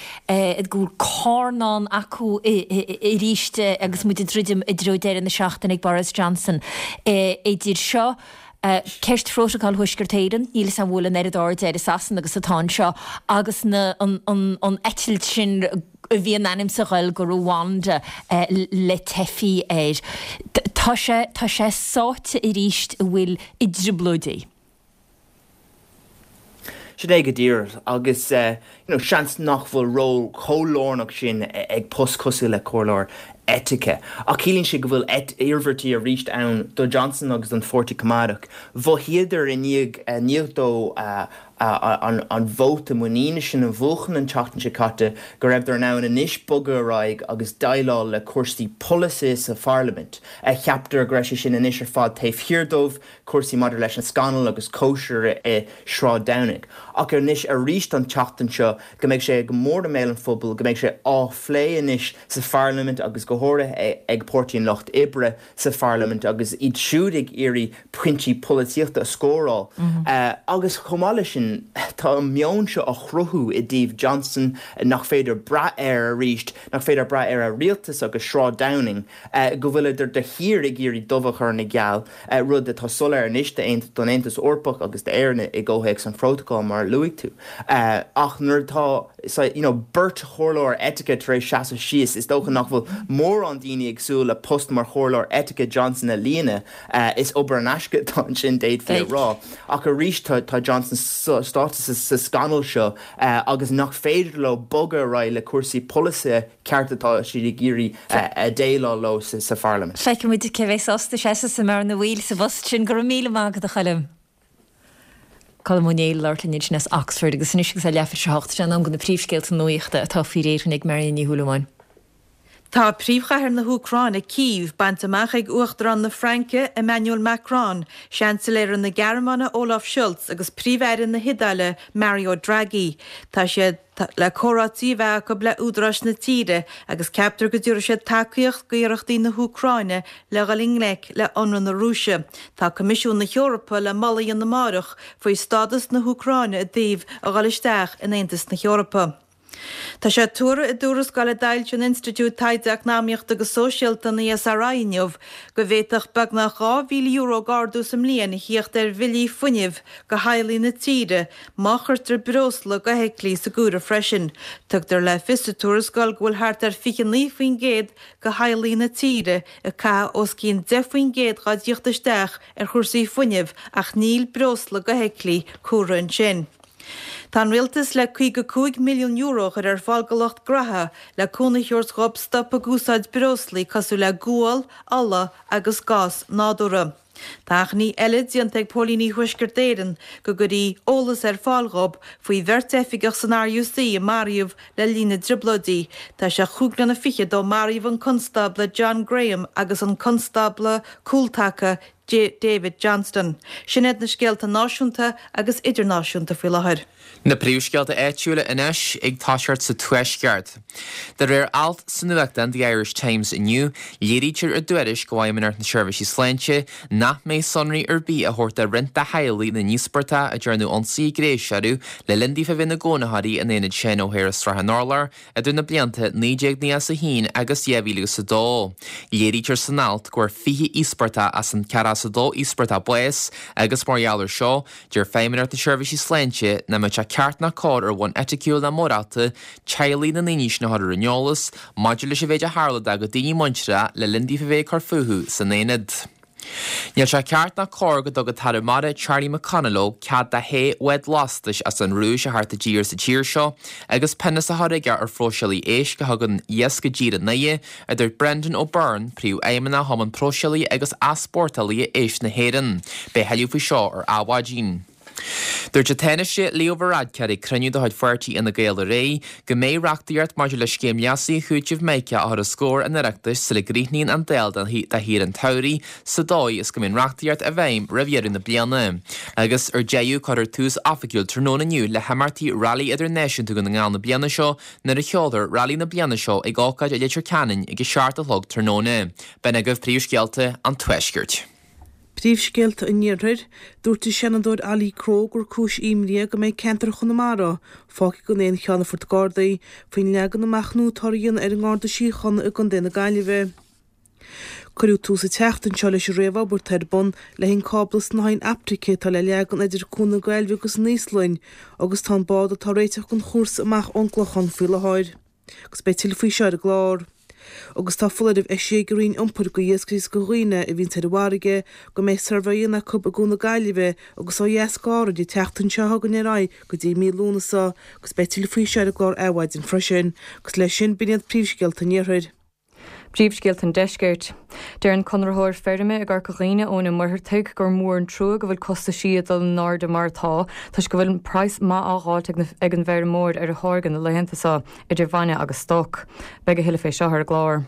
Speaker 1: go bhfuil carnán acu arís agus muid ag druidim i dtreo deireadh na seachtaine ag Boris Johnson. Idir seo, Ceist Phrótacal Thuaisceart Éireann, níl 'fhios a'm an bhfuil an oiread airde air i Sasana agus atá anseo, agus na, an, an, an eitilt sin a bhí in ainm 's a ghoil go Rwanda le teifigh air. Tá sé, tá sé sáite arís a bhfuil i dtrioblóidí.
Speaker 8: Sin é go díreach agus you know seans nach bhfuil ról chomh lárnach sin ag post cosúil le comhairleoir eitice. Ach ciallaíonn sé go bhfuil iarmhairtí arís ann do Johnson agus don Pháirtí Coimeádach. Mhothaíodar i ndiaidh dó. An vóta muiníne sin a bhuachan an tseachtain seo caite, go raibheadar in ann anois bogadh ar aghaidh agus déileáil le cúrsaí polasaithe sa pharlaimint. Cheapadar go raibh sé sin anois ar fad taobh thiar dóibh, cúrsaí maidir leis an scannal agus cóisir i Sráid Downing. Ach anois arís an tseachtain seo, go mbeidh sé go mór i mbéal an phobail, go mbeidh sé á phlé anois sa pharlaimint agus go háirithe ag Páirtí an Lucht Oibre sa pharlaimint agus iad siúd ag iarraidh pointí polaitíochta a scóráil. Agus chomh maith leis sin, tá an meon seo á chruthú i dtaobh Johnson nach féidir brath air arís, nach féidir brath ar a rialtas agus Sráid Downing, go bhfuileadar de shíor ag iarraidh dubh a chur ina gheal, rud atá soiléir anois don Aontas Eorpach agus d'Éirinn i gcomhthéacs an Phrótacail, mar a luaigh tú. Ach nuair atá you know beirt chomhairleoir eitice tar éis seasamh síos, is dócha nach bhfuil mórán daoine ag súil le post mar chomhairleoir eitice Johnson a líonadh. Is obair in aisce atá ansin, d'fhéadfaí a rá. Ach arís tá Johnson sáite sa scannal seo agus nach féidir leo bogadh ar aghaidh le cúrsaí polasaithe ceart atá siad ag iarraidh déileáil leo sa pharlaimint.
Speaker 1: Feicfidh muid cé bheidh sásta seasamh sa mbearna bhaoil sa bpost sin. Go raibh míle maith agat, a Choilm. Colm Ó Néill ag labhairt linn ansin as Oxford agus anois agus é leathuair tar éis a hocht, sé an am do na príomhscéalta nuachta atá faoi réir ag Marion Ní Shúilleabháin.
Speaker 2: Tá príomhchathair na hÚcráine, Cív, bainte amach ag Uachtarán na Fraince, Emmanuel Macron, Seansailéara na Gearmáine, Olaf Scholz agus Príomh-Aire na hIodáile, Mario Draghi. Tá siad le comhráití a bheith acu le údaráis na tíre agus ceaptar go dtabharfaidh siad tacaíocht d'iarrachtaí na hÚcráine le dhul i ngleic le hionradh na Rúise. Tá Coimisiún na hEorpa le moladh a dhéanamh amáireach faoi stádas na hÚcráine i dtaobh a dhul isteach in Aontas na hEorpa. Tá sé tuartha i dtuarascáil a d'fhoilsigh an Institiúid Taighde Eacnamaíochta agus Sóisialta, an ESRI, inniu go bhféadfadh beagnach €2,000 d'ardú sa mbliain a thíocht ar bhillí fuinnimh do theaghlaigh na tíre má chuirtear breosla d'fheithiclí sa gcomhaireamh freisin. Tugtar le fios sa tuarascáil go bhfuil thart ar 29% de theaghlaigh na tíre ag caitheamh os cionn 10% dá dtíocht isteach ar chúrsaí fuinnimh ach níl breosla d'fheithiclí comhairthe ansin. Tá an Rialtas le €55 milliún a chur ar fáil do lucht graithe le cúnamh a thabhairt dhóibh stop ag úsáid breoslaí cosúil le gual, ola agus gás nádúrtha. Tá achainí eile déanta ag póilíní Thuaisceart Éireann go gcuirfí eolas ar fáil dhóibh faoi bheirt oifigeach san RUC a maraíodh le linn na dTrioblóidí. Tá sé chúig bliana fichead ó maraíodh an Constábla John Graham agus an Constábla Cúltaca David Johnston. Sin iad na scéalta náisiúnta agus idirnáisiúnta faoi láthair.
Speaker 3: Na príomhscéalta áitiúla anois ag toiseacht sa Tuaisceart. De réir alt sa nuachtán The Irish Times inniu, léirítear i dtuairisc ó Fheidhmeannacht na Seirbhísí Sláinte nach mbeidh sonraí ar bith á thabhairt do roinnt de theaghlaigh na n-íospartach a ndearnadh ionsaithe gnéis orthu le linn daofa bheith ina gcónaitheoirí in Aonad Seán O'Hare i Srath an Urláir Idir na blianta 1991 agus 2002, léirítear san alt go bhfuair 20 íospartach as an 42 íospartach bás agus mar gheall air seo, deir Feidhmeannacht na Seirbhísí Sláinte nach mbeadh sé ceart ná cóir ar bhonn eiticiúil ná morálta teaghlaigh na ndaoine sin a chur ar an eolas maidir leis an mhéid a tharla dá gcuid daoine muinteartha le linn daofa bheith ag cur fúthu san aonad. Níl sé ceart ná cóir go dtug an tAire Mara Charlie McConalogue cead do shé bhád lastais as an Rúis a theacht i dtír sa tír seo agus pionós á chur aige ar phróiseálaithe éisc a thugann iasc i dtír in Oighe, a dúirt Brendan O'Byrne, Príomhfheidhmeannach Chumann Próiseálaithe agus Easpórtálaithe Éisc na hÉireann. Beidh thuilleadh faoi seo ar Adhmhaidin. Dúirt an Tánaiste Leo Varadkar ag cruinniú de chuid pháirtí Fhine Gael aréir go mbeidh reachtaíocht maidir le scéim leasaithe chúitimh Mica á chur os comhair an Oireachtais sula gcríochnaíonn an Dáil do shaoire an tsamhraidh sa dóigh is go mbeidh an reachtaíocht i bhfeidhm roimh dheireadh na bliana. Agus ar deireadh cuirfear tús oifigiúil tráthnóna inniu le himeachtaí Railí Idirnáisiúnta Dhún na nGall na bliana seo nuair a sheolfar Railí na bliana seo ag ócáid i Leitir Ceanainn ag 7 a chlog tráthnóna. B'in agaibh príomhscéalta an Tuaiscirt.
Speaker 4: Príomhscéalta an Iarthair, Dúirt an Seanadóir Ollie Crowe gur cúis imní é go mbeidh ceantar Chonamara fágtha gan aon cheannfort Gardaí faoin leagan amach nua atáthar a dhéanamh ar an nGarda Síochána i gContae na Gaillimhe. Cuireadh tús an tseachtain seo leis an réamhobair atá ar bun le haghaidh an cábla snáithín optaice atá le leagan idir Cuan na Gaillimhe agus an Íoslainn agus tá an bád atá ag réiteach don chúrsa amach ón gClochán faoi láthair. Agus beidh tuilleadh faoi seo ar an gclár. Agus tá foláireamh eisithe ag an Roinn Iompair go iascairí is go dhaoine a bhíonns ar an bhfarraige go mbeidh suirbhé á dhéanamh acu i gCuan na Gaillimhe agus ó dheas d'Árainn an tseachtain seo chugainn ar aghaidh go dtí mí Lúnasa agus beidh tuilleadh faoi seo ar an gclár Adhmhaidin freisin. Agus leis sin, b'in iad príomhscéalta an Iarthair.
Speaker 5: Príomhscéalta an Deiscirt. Deir an conraitheoir feirme i gCorca Dhuibhne, Eoin Ó Muircheartaigh, gur mór an trua go bhfuil costaisí ag dul in airde mar atá, toisc go bhfuil praghas maith á dh'fháilt ag an bhfeirmeoir ar a tháirge na laethanta seo, idir bhainne agus stoc. Beidh a thuilleadh fé seo ar an gclár.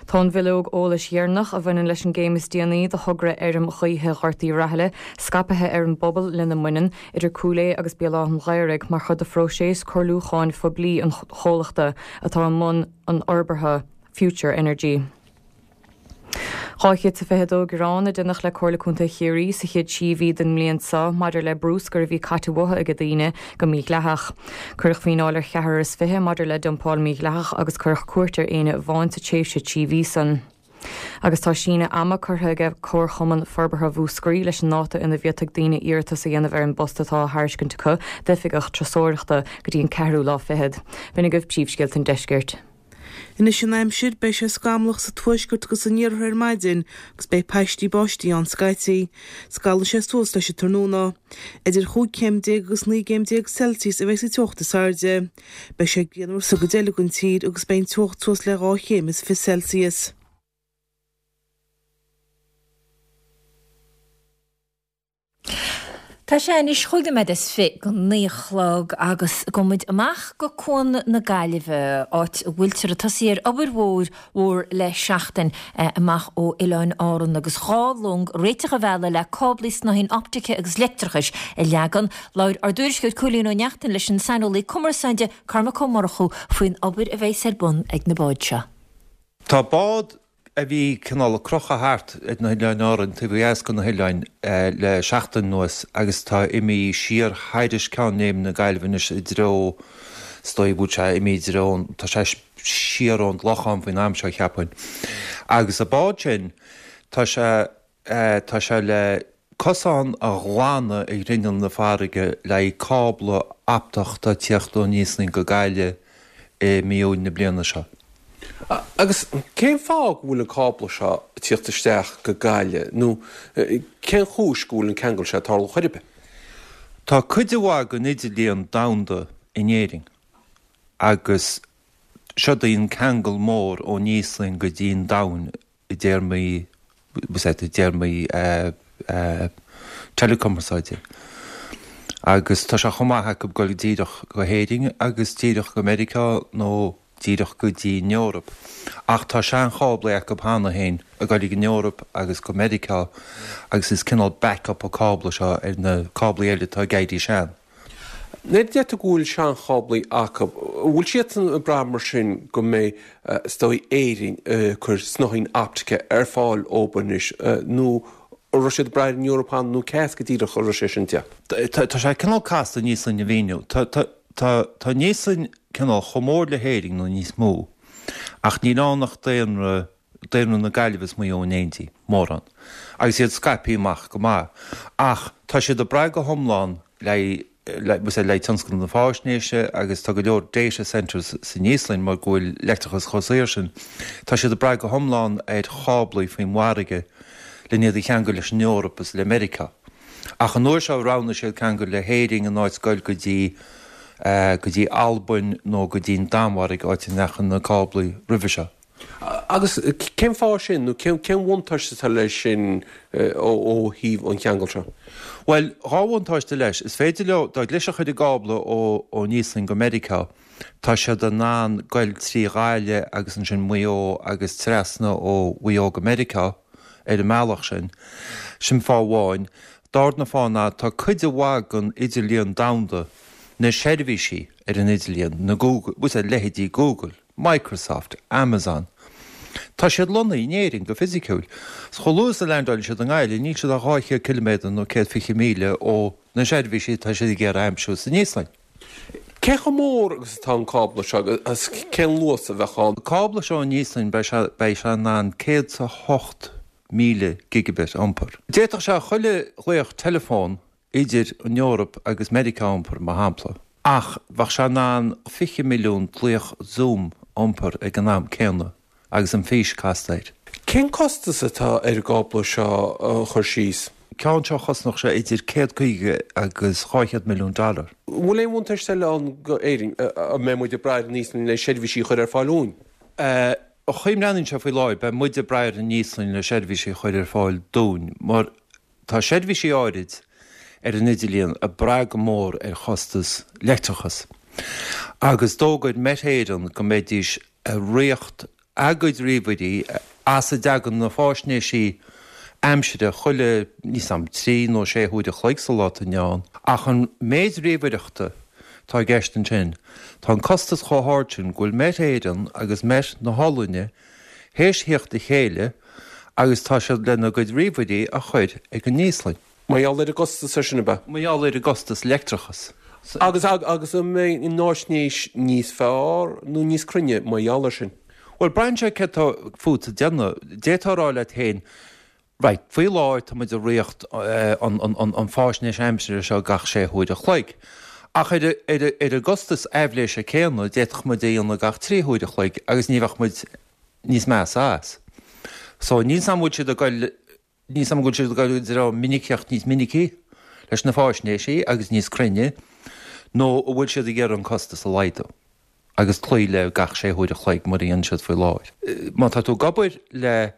Speaker 5: Tá an bhileog eolais dheireanach a bhaineann leis an gcéim is déanaí de thogra fheirm ghaoithe Ghort Uí Rathaille scaipthe ar an bpobal lena mbaineann, idir Cúil Aodha agus Béal Átha an Ghaorthaidh, mar chuid de phróiseas comhairliúcháin phoiblí an chomhlachta atá i mbun an fhorbartha, Future Energy. 222 gearán a déanadh le Comhairle Contae Chiarraí sa chéad trí mhí den mbliain seo maidir le bruscar a bhí caite uathu ag daoine go mídhleathach. Cuireadh fíneáil ar cheathrar is fiche maidir le dumpáil mhídhleathach agus cuireadh cúirt ar éinne amháin sa tréimhse 3 mhí san. Agus tá síneadh ama curtha aige Comharchumann Forbartha Mhúscraí leis an ndáta ina bhféadfaidh daoine iarratas a dhéanamh ar an bpost atá á thairiscint acu d'oifigeach turasóireachta go dtí an ceathrú lá fichead. B'in agaibh príomhscéalta an deiscirt.
Speaker 4: Anois an aimsir, beidh sé scamallach sa tuaisceart agus san iarthar ar maidin agus beidh paistí báistí ann scaití. Scalfaidh sé suas leis an tráthnóna. Idir chúig chéim déag agus naoi gcéim déag Celsius a bheidh sa teocht is airde. Beidh sé grianmhar sa gcuid eile den tír agus beidh an teocht suas le 2 chéim is 20 Celsius.
Speaker 1: Tá sé anois chúig nóiméad is fi go naoi a chlog agus gabhfaidh muid amach go Cuan na Gaillimhe, áit a bhfuiltear ag tosaí ar obair mhór mhór le seachtain amach ó Oileáin Árann agus dhá long réiteach a mhealladh le cáblaí snáithín optaice agus leictreachais a leagan. Labhair ár dtuairisceoir Cóilín Ó Neachtain leis an saineolaí cumarsáide Cormac Ó Murchú faoin obair a bheas ar bun ag na báid seo.
Speaker 9: Tá bád a bhí cineál ag crochadh thart ar na hOileáin Árann, taobh ó dheas de na hoileáin, le seachtain anuas agus tá imithe siar thairis Ceann Léime na Gaillimhe anois i dtreo, is dóigh go bhfuil sé imithe i dtreo, tá sé siar ón gClochán faoin am seo cheapfainn. Agus an bád sin, tá sé. Tá sé le cosán a ghlanadh ar ghrinneall na farraige le haghaidh cábla optach atá ag tíocht ón Íoslainn go Gaillimh i mí Iúil na bliana seo.
Speaker 10: Agus cén fáth go bhfuil an cábla seo ag tíocht isteach go Gaillimh nó cén chúis go bhfuil an ceangal seo ag tarlú chor ar bith?
Speaker 9: Tá cuid mhaith den idirlíon domhanda in Éirinn agus seod é an ceangal mór ón Íoslainn go dtí an domhan i dtéarmaí, i dtéarmaí teileachumarsáide. Agus tá sé chomh maith acu dul díreach go hÉirinn agus díreach go Meiriceá nó díreach go dtí an Eoraip. Ach tá seancháblaí acu cheana féin ag dul ag an Eoraip agus go Meiriceá agus is cineál backup an cábla seo ar na cáblaí eile atá ag éirí sean.
Speaker 10: Nuair a deir tú go bhfuil seancháblaí acu, an bhfuil siadsan ag brath mar sin go mbeidh, is dóigh, Éirinn ag cur snáithín optaice ar fáil dóibh anois nó an raibh siad ag brath ar an Eoraip cheana nó cé as go díreach a raibh sé sin ag
Speaker 9: teacht? Tá sé cineál casta an Íoslainn a mhíniú. Tá an Íoslainn cineál chomh mór le hÉirinn nó níos mó ach níl ann ach daonra daonra na Gaillimhe is Maigh Eo in éindí, mórán, agus iad scaipthe amach go maith. Ach tá siad ag brath go hiomlán le le le tionscal na faisnéise agus tá go leor data centres san Íoslainn mar go bhfuil leictreachas chomh saor sin. Tá siad ag brath go hiomlán ar cháblaí faoin bhfarraige len iad a cheangal leis an Eoraip is le Meiriceá. Ach an uair seo roghnaigh siad ceangal le hÉirinn in áit goil go dtí go dtí Albain nó go dtí an Danmhairg áit a ndeachaigh na cáblaí roimhe seo.
Speaker 10: Agus cén fáth sin, nó cén bhuntáiste atá leis sin ó thaobh an cheangail seo?
Speaker 9: Bhuel, dhá bhuntáiste leis. Is féidir leo, dá gclisfeadh ar an gcábla ón Íoslainn go Meiriceá, tá siad in ann goil trí Ghaillimh agus ansin Maigh Eo agus trasna ó Mhaigh Eo go Meiriceá ar an mbealach sin. Sin fáth amháin. Darna fáth ná tá cuid mhaith den idirlíon domhanda, na seirbhísí ar an idirlíon, na Google, leithéidí Google, Microsoft, Amazon. Tá siad lonnaithe in Éirinn go fisiciúil. So chomh luath is a leaindeálann siad i nGaillimh, níl siad ach 200 ciliméadar nó 120 míle ó na seirbhísí atá siad ag iarraidh a aimsiú san Íoslainn.
Speaker 10: Cé chomh mór agus atá an cábla seo agus cén luas a bheadh ann?
Speaker 9: An cábla seo ón Íoslainn, beidh sé beidh sé in ann 108,000 gigabit a iompar. D'fhéadfadh sé chuile ghlaoch teileafóin idir an Eoraip agus Meiriceá a iompar, mar shampla, ach bheadh sé in ann 20 milliún glaoch Zoom a iompar ag an am céanna agus an fís casta air.
Speaker 10: Cén costas atá ar an gcábla seo a chur síos?
Speaker 9: Ceann seo chosnódh sé idir 150 agus 200 milliún dollar.
Speaker 10: An bhfuil aon bhuntáiste eile ann go Éirinn? An mbeidh muid ag brath ar an Íoslainn le seirbhísí a chur ar fáil dúinn?
Speaker 9: An chaoi a mbreathnaíonn sé faoi láthair, beidh muid ag brath ar an Íoslainn le seirbhísí a chur ar fáil dúinn, mar tá seirbhísí áirid ar an idirlíon ag brath go mór ar chostas leictreachas. Agus d'fhógair Met Éireann go mbeidís ag riocht a gcuid ríomhairí as a dtagann na fáisnéisí aimsire chuile, níl 's a'm, trí nó sé huaire a chloig sa lá atá inniu ann. Ach an méid ríomhaireachta atá i gceist ansin, tá an costas chomh hard sin go bhfuil Met Éireann agus Met na hOllainne théis theacht le chéile agus tá siad lena gcuid ríomhairí a chur ag an Íoslainn.
Speaker 10: Mar gheall ar an gcostas ar sin, ab ea?
Speaker 9: Mar gheall ar an gcostas leictreachas.
Speaker 10: Agus, agus an mbeidh an fháisnéis níos fearr nó níos cruinne mar gheall ar sin?
Speaker 9: Bhuel, braitheann sé céard atá fút a dhéanamh. D'fhéadfá a rá leat féin, right, faoi láthair tá muid ag riocht an, an, an, an fáisnéis aimsire seo gach sé huaire a chloig. Ach ar, ar, ar an gcostas aibhléise céanna, d'fhéadfadh muid é a dhéanamh gach 3 huaire a chloig agus ní bheadh muid níos measa as. So, níl 's a'm an bhfuil siad ag goil Níl 's a'm an bhfuil siad ag goil i dtreo minicíocht níos minicí leis na fáisnéisí agus níos cruinne, nó an bhfuil siad ag iarraidh an costas a laghdú agus cloí le gach sé huaire a chloig mar a dhéanann siad faoi láthair. Má tá tú ag obair le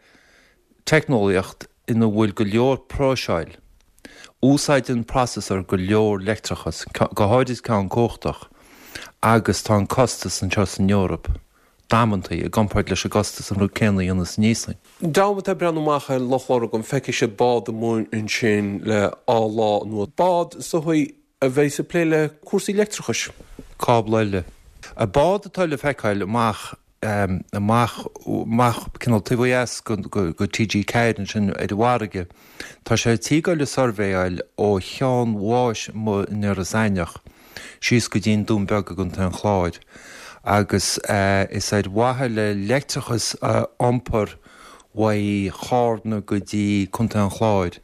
Speaker 9: teicneolaíocht ina bhfuil go leor próiseáil, úsáideann processor go leor leictreachas, go háirid ceann cumhachtach, agus tá an costas anseo san Eoraip damanta i gcomparáid leis an gcostas an rud céanna a dhéanamh san Íoslainn.
Speaker 10: Dream atá ag breathnú amach ar Loch Lurgan, feicfidh siad bád amuigh ansin le dhá lá anuas. Bád is dóigh a bheidh ag plé le cúrsaí leictreachais.
Speaker 9: Cábla eile. An bád atá le feiceáil amach amach amach cineál taobh ó dheas go TG4 ansin ar an bhfarraige, tá sé ar tí goil ag suirbhéáil ó Cheann Mháis amuigh in Iorras Aithneach. síos go dtí an Dún Beag i gContae an Chláir agus is ar mhaithe le leictreachas a iompar uaidh Chárna go dtí Contae an Chláir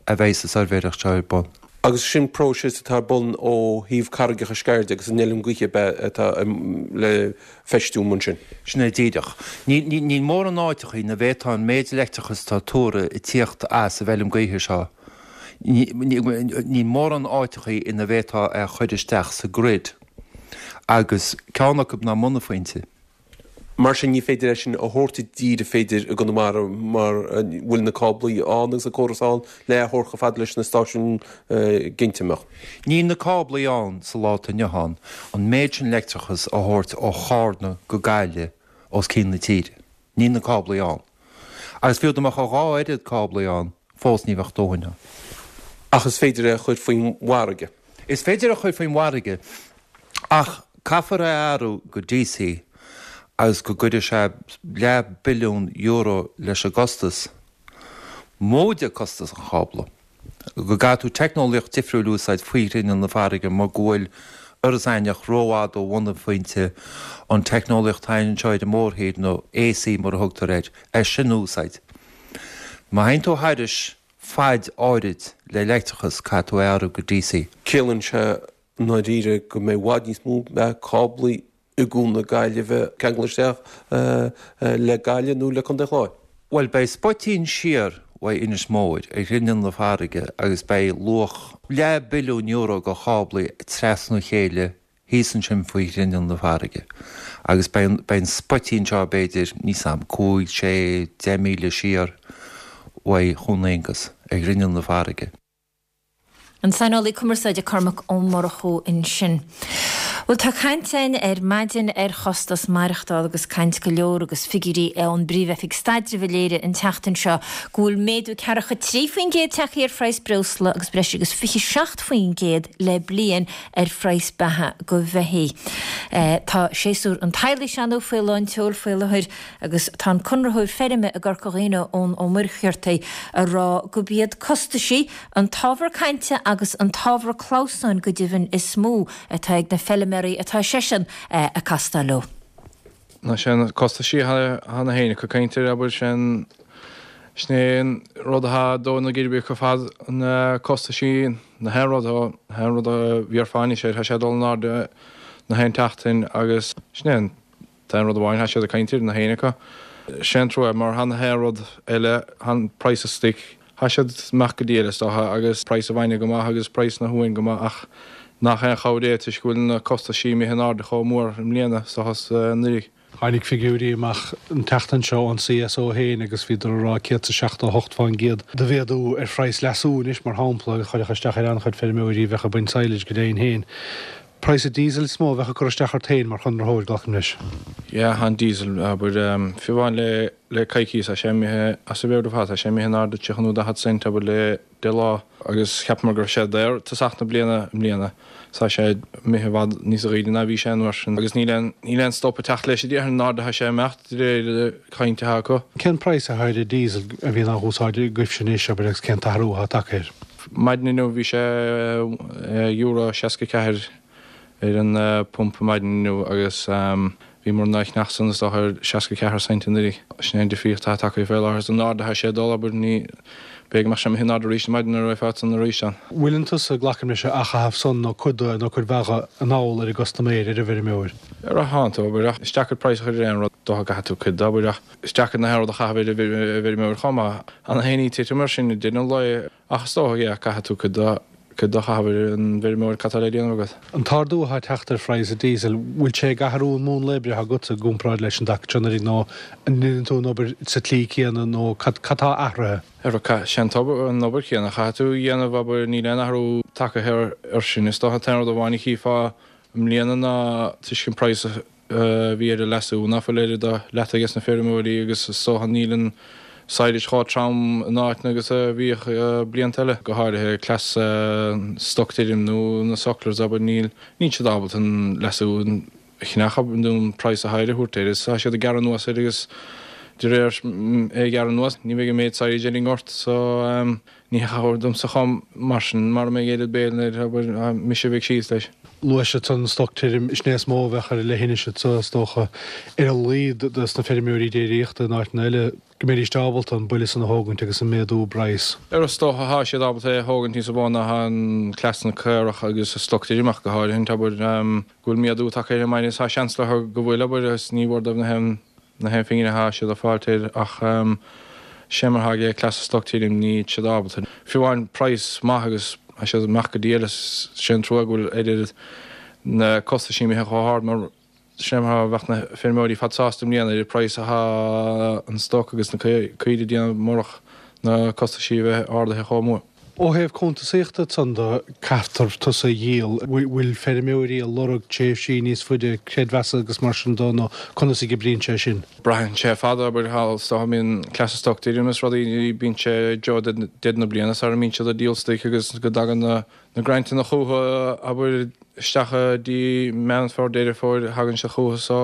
Speaker 9: a bheidh an tsuirbhéireacht seo ar bun.
Speaker 10: Agus sin próiseas atá ar bun ó thaobh Carraigeacha Sceirde agus an fheilm gaoithe ab ea atá le feistiú ansin.
Speaker 9: Sin é díreach. Níl mórán áiteachaí ina bhféadfá an méid leictreachas atá tuartha ag tíocht as an bhfeilm gaoithe seo Níl mórán áiteachaí ina bhféadfá é a chur isteach sa grid agus ceann acu ná Monaphointe.
Speaker 10: Mar sin ní féidir é sin a thabhairt i dtír an féidir i gConamara mar bhfuil na cáblaí ann agus an córas ann le é a thabhairt chomh fada leis na stáisiúin ginte mbeadh.
Speaker 9: Níl na cáblaí ann sa lá atá inniu ann an méid sin leictreachas a thabhairt ó Chárna go Gaillimh os cionn na tíre. Níl na cáblaí ann. Agus fiú dá mbeadh a dhá oiread cáblaí ann, fós ní bheadh dóthain ann.
Speaker 10: Ach is féidir é a chur faoin bhfarraige.
Speaker 9: Is féidir é a chur faoin bhfarraige, ach caithfear é a athrú go DC agus go gcuirfidh sé leath billiún euro leis an gcostas, móide costas an chábla. go gcaithfidh tú teicneolaíocht difriúil a úsáid faoi ghrinneall na farraige mar go bhfuil Iorras Aithneach rófhada ó bhunphointe an teicneolaíocht atá anseo ar an mórthír, nó AC mar a thugtar air, é sin a úsáid. Má théann tú thairis faid áirid le leictreachas caithfidh tú é a athrú go DC.
Speaker 10: Ciallaíonn sé i ndáiríre go mbeidh i bhfad níos mó cáblaí i gCuan na Gaillimhe ceangal isteach le Gaillimh nó le Contae an Chláir.
Speaker 9: Bhuel, beidh spoitín siar uaidh Inis Mór ar ghrinneall na farraige agus beidh luach leath billiún euro de cháblaí trasna a chéile thíos ansin faoi ghrinneall na farraige agus beidh an spoitín seo b'fhéidir, níl 's a'm, cúig, sé, 10 míle siar uaidh Dhún Aonghus ar ghrinneall na farraige.
Speaker 1: An saineolaí cumarsáide Cormac Ó Murchú ansin. Bhuel, tá caint againn ar maidin ar chostas maireachtála agus caint go leor agus figiúirí ón bPríomh-Oifig Staidrimh a léirigh an tseachtain seo go bhfuil méadú 43% tagtha ar phraghas breosla agus breis agus 27% le bliain ar phraghas beatha go bheithígh. Tá séasúr an tsadhlaigh sea faoi lán tseoil faoi láthair Agus tá an conraitheoir feirme i gCorca Dhuibhne, Eoin Ó Muircheartaigh, a rá gurb iad costaisí an t-ábhar cainte agus an t-ábhar clamhsáin go deimhin is mó atá ag na feiliméaraí atá seisean ag castáil leo.
Speaker 11: Ná sé na costaisí atá na héinne acu caint air, abair, sin sin é an rud atá ag dó na geirbe acu ar fad, na costaisí, na haon rud, na haon rud a bhéarfá anois air, tá sé ag dul in airde na haon tseachtain agus sin é an Tá aon rud amháin, tá siad ag caint air, na héinne acu. Sé an trua mar tá na haon rud eile, tá an praghas an stoic, tá siad amach go diail is dócha agus praghas an bhainne go maith agus praghas na huain go maith ach nach aon chabhair é toisc go bhfuil na costaisí imithe in airde chomh mór i mbliana is dócha is anuraidh.
Speaker 12: Tháinig figiúirí amach an tseachtain seo ón CSO féin agus bhíodar ag rá 178% de mhéadú ar phraghas leasú anois, mar shampla, a chuirfeadh isteach ar an-chuid feirmeoirí a bheadh ag baint silage go deimhin féin. Praghas an diesel is mó a bheadh ag cur isteach ort féin mar chonraitheoir, glacaim leis.
Speaker 11: Yeah, an diesel, abair, fiú amháin le le coicíos, tá sé imithe as a mheabhair ar fad, tá sé imithe in airde 30 nó 40 cent, abair, le 10 lá agus cheapamar go raibh sé daor tosach na bliana i mbliana. Tá sé imithe i bhfad níos aoirde ná bhí sé an uair sin agus níl aon níl aon stop ag teacht leis a déarfainn an airde atá sé ag imeacht de réir cainte atá acu.
Speaker 12: Cén praghas atá ar an diesel a bhíonn á úsáid agaibhse anois, abair, agus cén t-athrú atá tagtha air?
Speaker 11: Maidin inniu bhí sé euro 64 ar an pumpa maidin inniu agus bhíomar in ann é a cheannach san is dócha ar 64 cent anuraidh. Sin é an difríocht atá tagtha fé láthair is an airde atá sé ag dul, abair, ní, b'fhéidir go mbeadh sé imithe in airde arís ar maidin nuair a bheifeá san arís ann.
Speaker 12: Bhfuileann tusa, glacaim leis, á chaitheamh san nó cuid de nó cuid mhaith de anall ar an gcustaiméir, ar an bhfeirmeoir?
Speaker 11: Ara thánn tú, abair, ach is deacair praghas a chur ar aon rud, dócha go gcaithfidh tú cuid de, abair, ach is deacair na haon rud a chaitheamh ar an bhfeirmeoir chomh maith. An fhéin í titim mar sin i deireadh an lae. Ach is dócha, yeah, caithfidh tú cuid de, cuid de a chaitheamh ar an bhfeirmeoir, cad tá le déanamh agat?
Speaker 12: An t-ardú atá ag teacht ar phraghas an díosail, bhfuil sé ag athrú an múnla oibre atá agatsa i gcomparáid leis an dtaca seo anuraidh nó an ndéanann tú an obair sa tslí céanna nó cad, cad tá athraithe?
Speaker 11: Ara, sé an t-obair, an obair chéanna a chaithfidh tú a dhéanamh, abair, níl aon athrú tagtha air sin. Is dócha an t-aon rud amháin a chífeá i mbliana ná toisc an praghas a, a bhí ar an leasú ná fuil oiread de leata ages na feirmeoirí agus is dócha níl an silage chomh trom in áiteanna agus a bhíodh blianta eile, go háirithe cleas stoc tirim nó na sucklers abair níl níl siad ábalta an leasú a cheannach abair nó an praghas atá air a thabhairt air is tá siad ag gearradh anuas air agus de réir é a ghearradh anuas ní bheidh an méid silage ar an ngort so Ní chabhair domsa chomh mar sin mara mbeidh oiread béil air, abair, mise a bheidh síos leis.
Speaker 12: Luaigh siad san stoc tirim, sin é is mó a bheadh ar an leithinis anso, is dócha, ar a laghad dos na feirmeoirí déiríochta in áiteanna eile, go mbeidís ábalta an buille san a thógaint agus an méadú i bpraghas.
Speaker 11: Ar is dócha thá siad ábalta é a thógaint níos mó ná thá an cleas na caorach agus an stoc tirim ach go háirithe, abair, go bhfuil méadú tagtha air ar maidin is thá seans leo go bhfuil, abair, agus ní mhór dóibh na haon na haon phingin atá siad ag fáilt air ach sé mar atá aige cleas an stoc tirim níl siad ábalta fiú amháin praghas maith agus tá siad amach go diail is sé an trua go bhfuil oiread na costaisí imithe chomh hard mar sé mar atá bheadh na feirmeoirí fad sásta i mbliana ar an praghas atá an stoc agus na caoirigh ag déanamh murach na costaisí a bheith ardaithe chomh mór.
Speaker 12: Ó thaobh cuntasaíochta ansan de, caithfear tusa a dhíol. Bhfuil feirmeoirí ag lorg tréimhsí níos faide creidmheasa agus mar sin de nó conas a oibríonn sé sin?
Speaker 11: Braitheann sé ar fad, abair, thall is dócha mbíonn cleas an stoc tirim is rudaí, bíonn sé i dtreo deireadh na bliana sara mbíonn siad ag díol stoic agus go dtagann na na grantanna chucu, abair, isteach i dtí Meán Fómhair, Deireadh Fómhair, thagann siad chucu so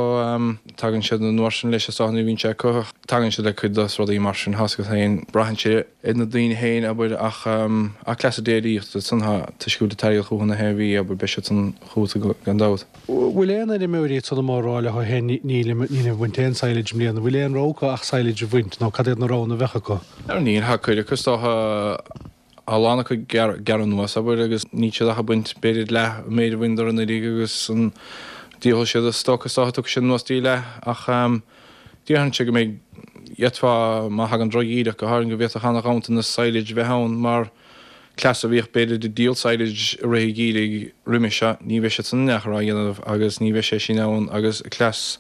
Speaker 11: tagann siad an uair sin leis is dócha nuair a bhíonn sé acu tagann siad le cuid dos rudaí mar sin thá's agat féin braitheann sé ar na daoine féin abair ach ach cleas déiríochta san thá toisc go bhfuil an t-airgead chucu na haon mhí abair beidh siad san chugat gan dabht.
Speaker 12: Bhfuil aon fheirmeoirí ansan amuigh ag rá leo féin nílim nílim ag baint aon silage i mbliana, bhfuil aon rogha acu ach silage a bhaint nó cad iad na roghanna a bheadh acu?
Speaker 11: Níl, thá cuid acu is dócha a lán acu ag gearradh anuas, abair, agus níl siad ach ag baint b'fhéidir leath an méid a bhaineadar anuraidh agus an díolfaidh siad an stoc is dócha tiocfaidh siad anuas dtí leath ach déarfainnse go mbeidh d'fhéadfá má thagann drochgheimhreadh go háirithe go bhféadfadh ana-ghanntanas silage bheith ann mar cleas a bhíodh b'fhéidir ag díol silage i rith an gheimhridh roimis seo ní bheidh siad san in aon chor á dhéanamh agus ní bheidh sé sin ann agus cleas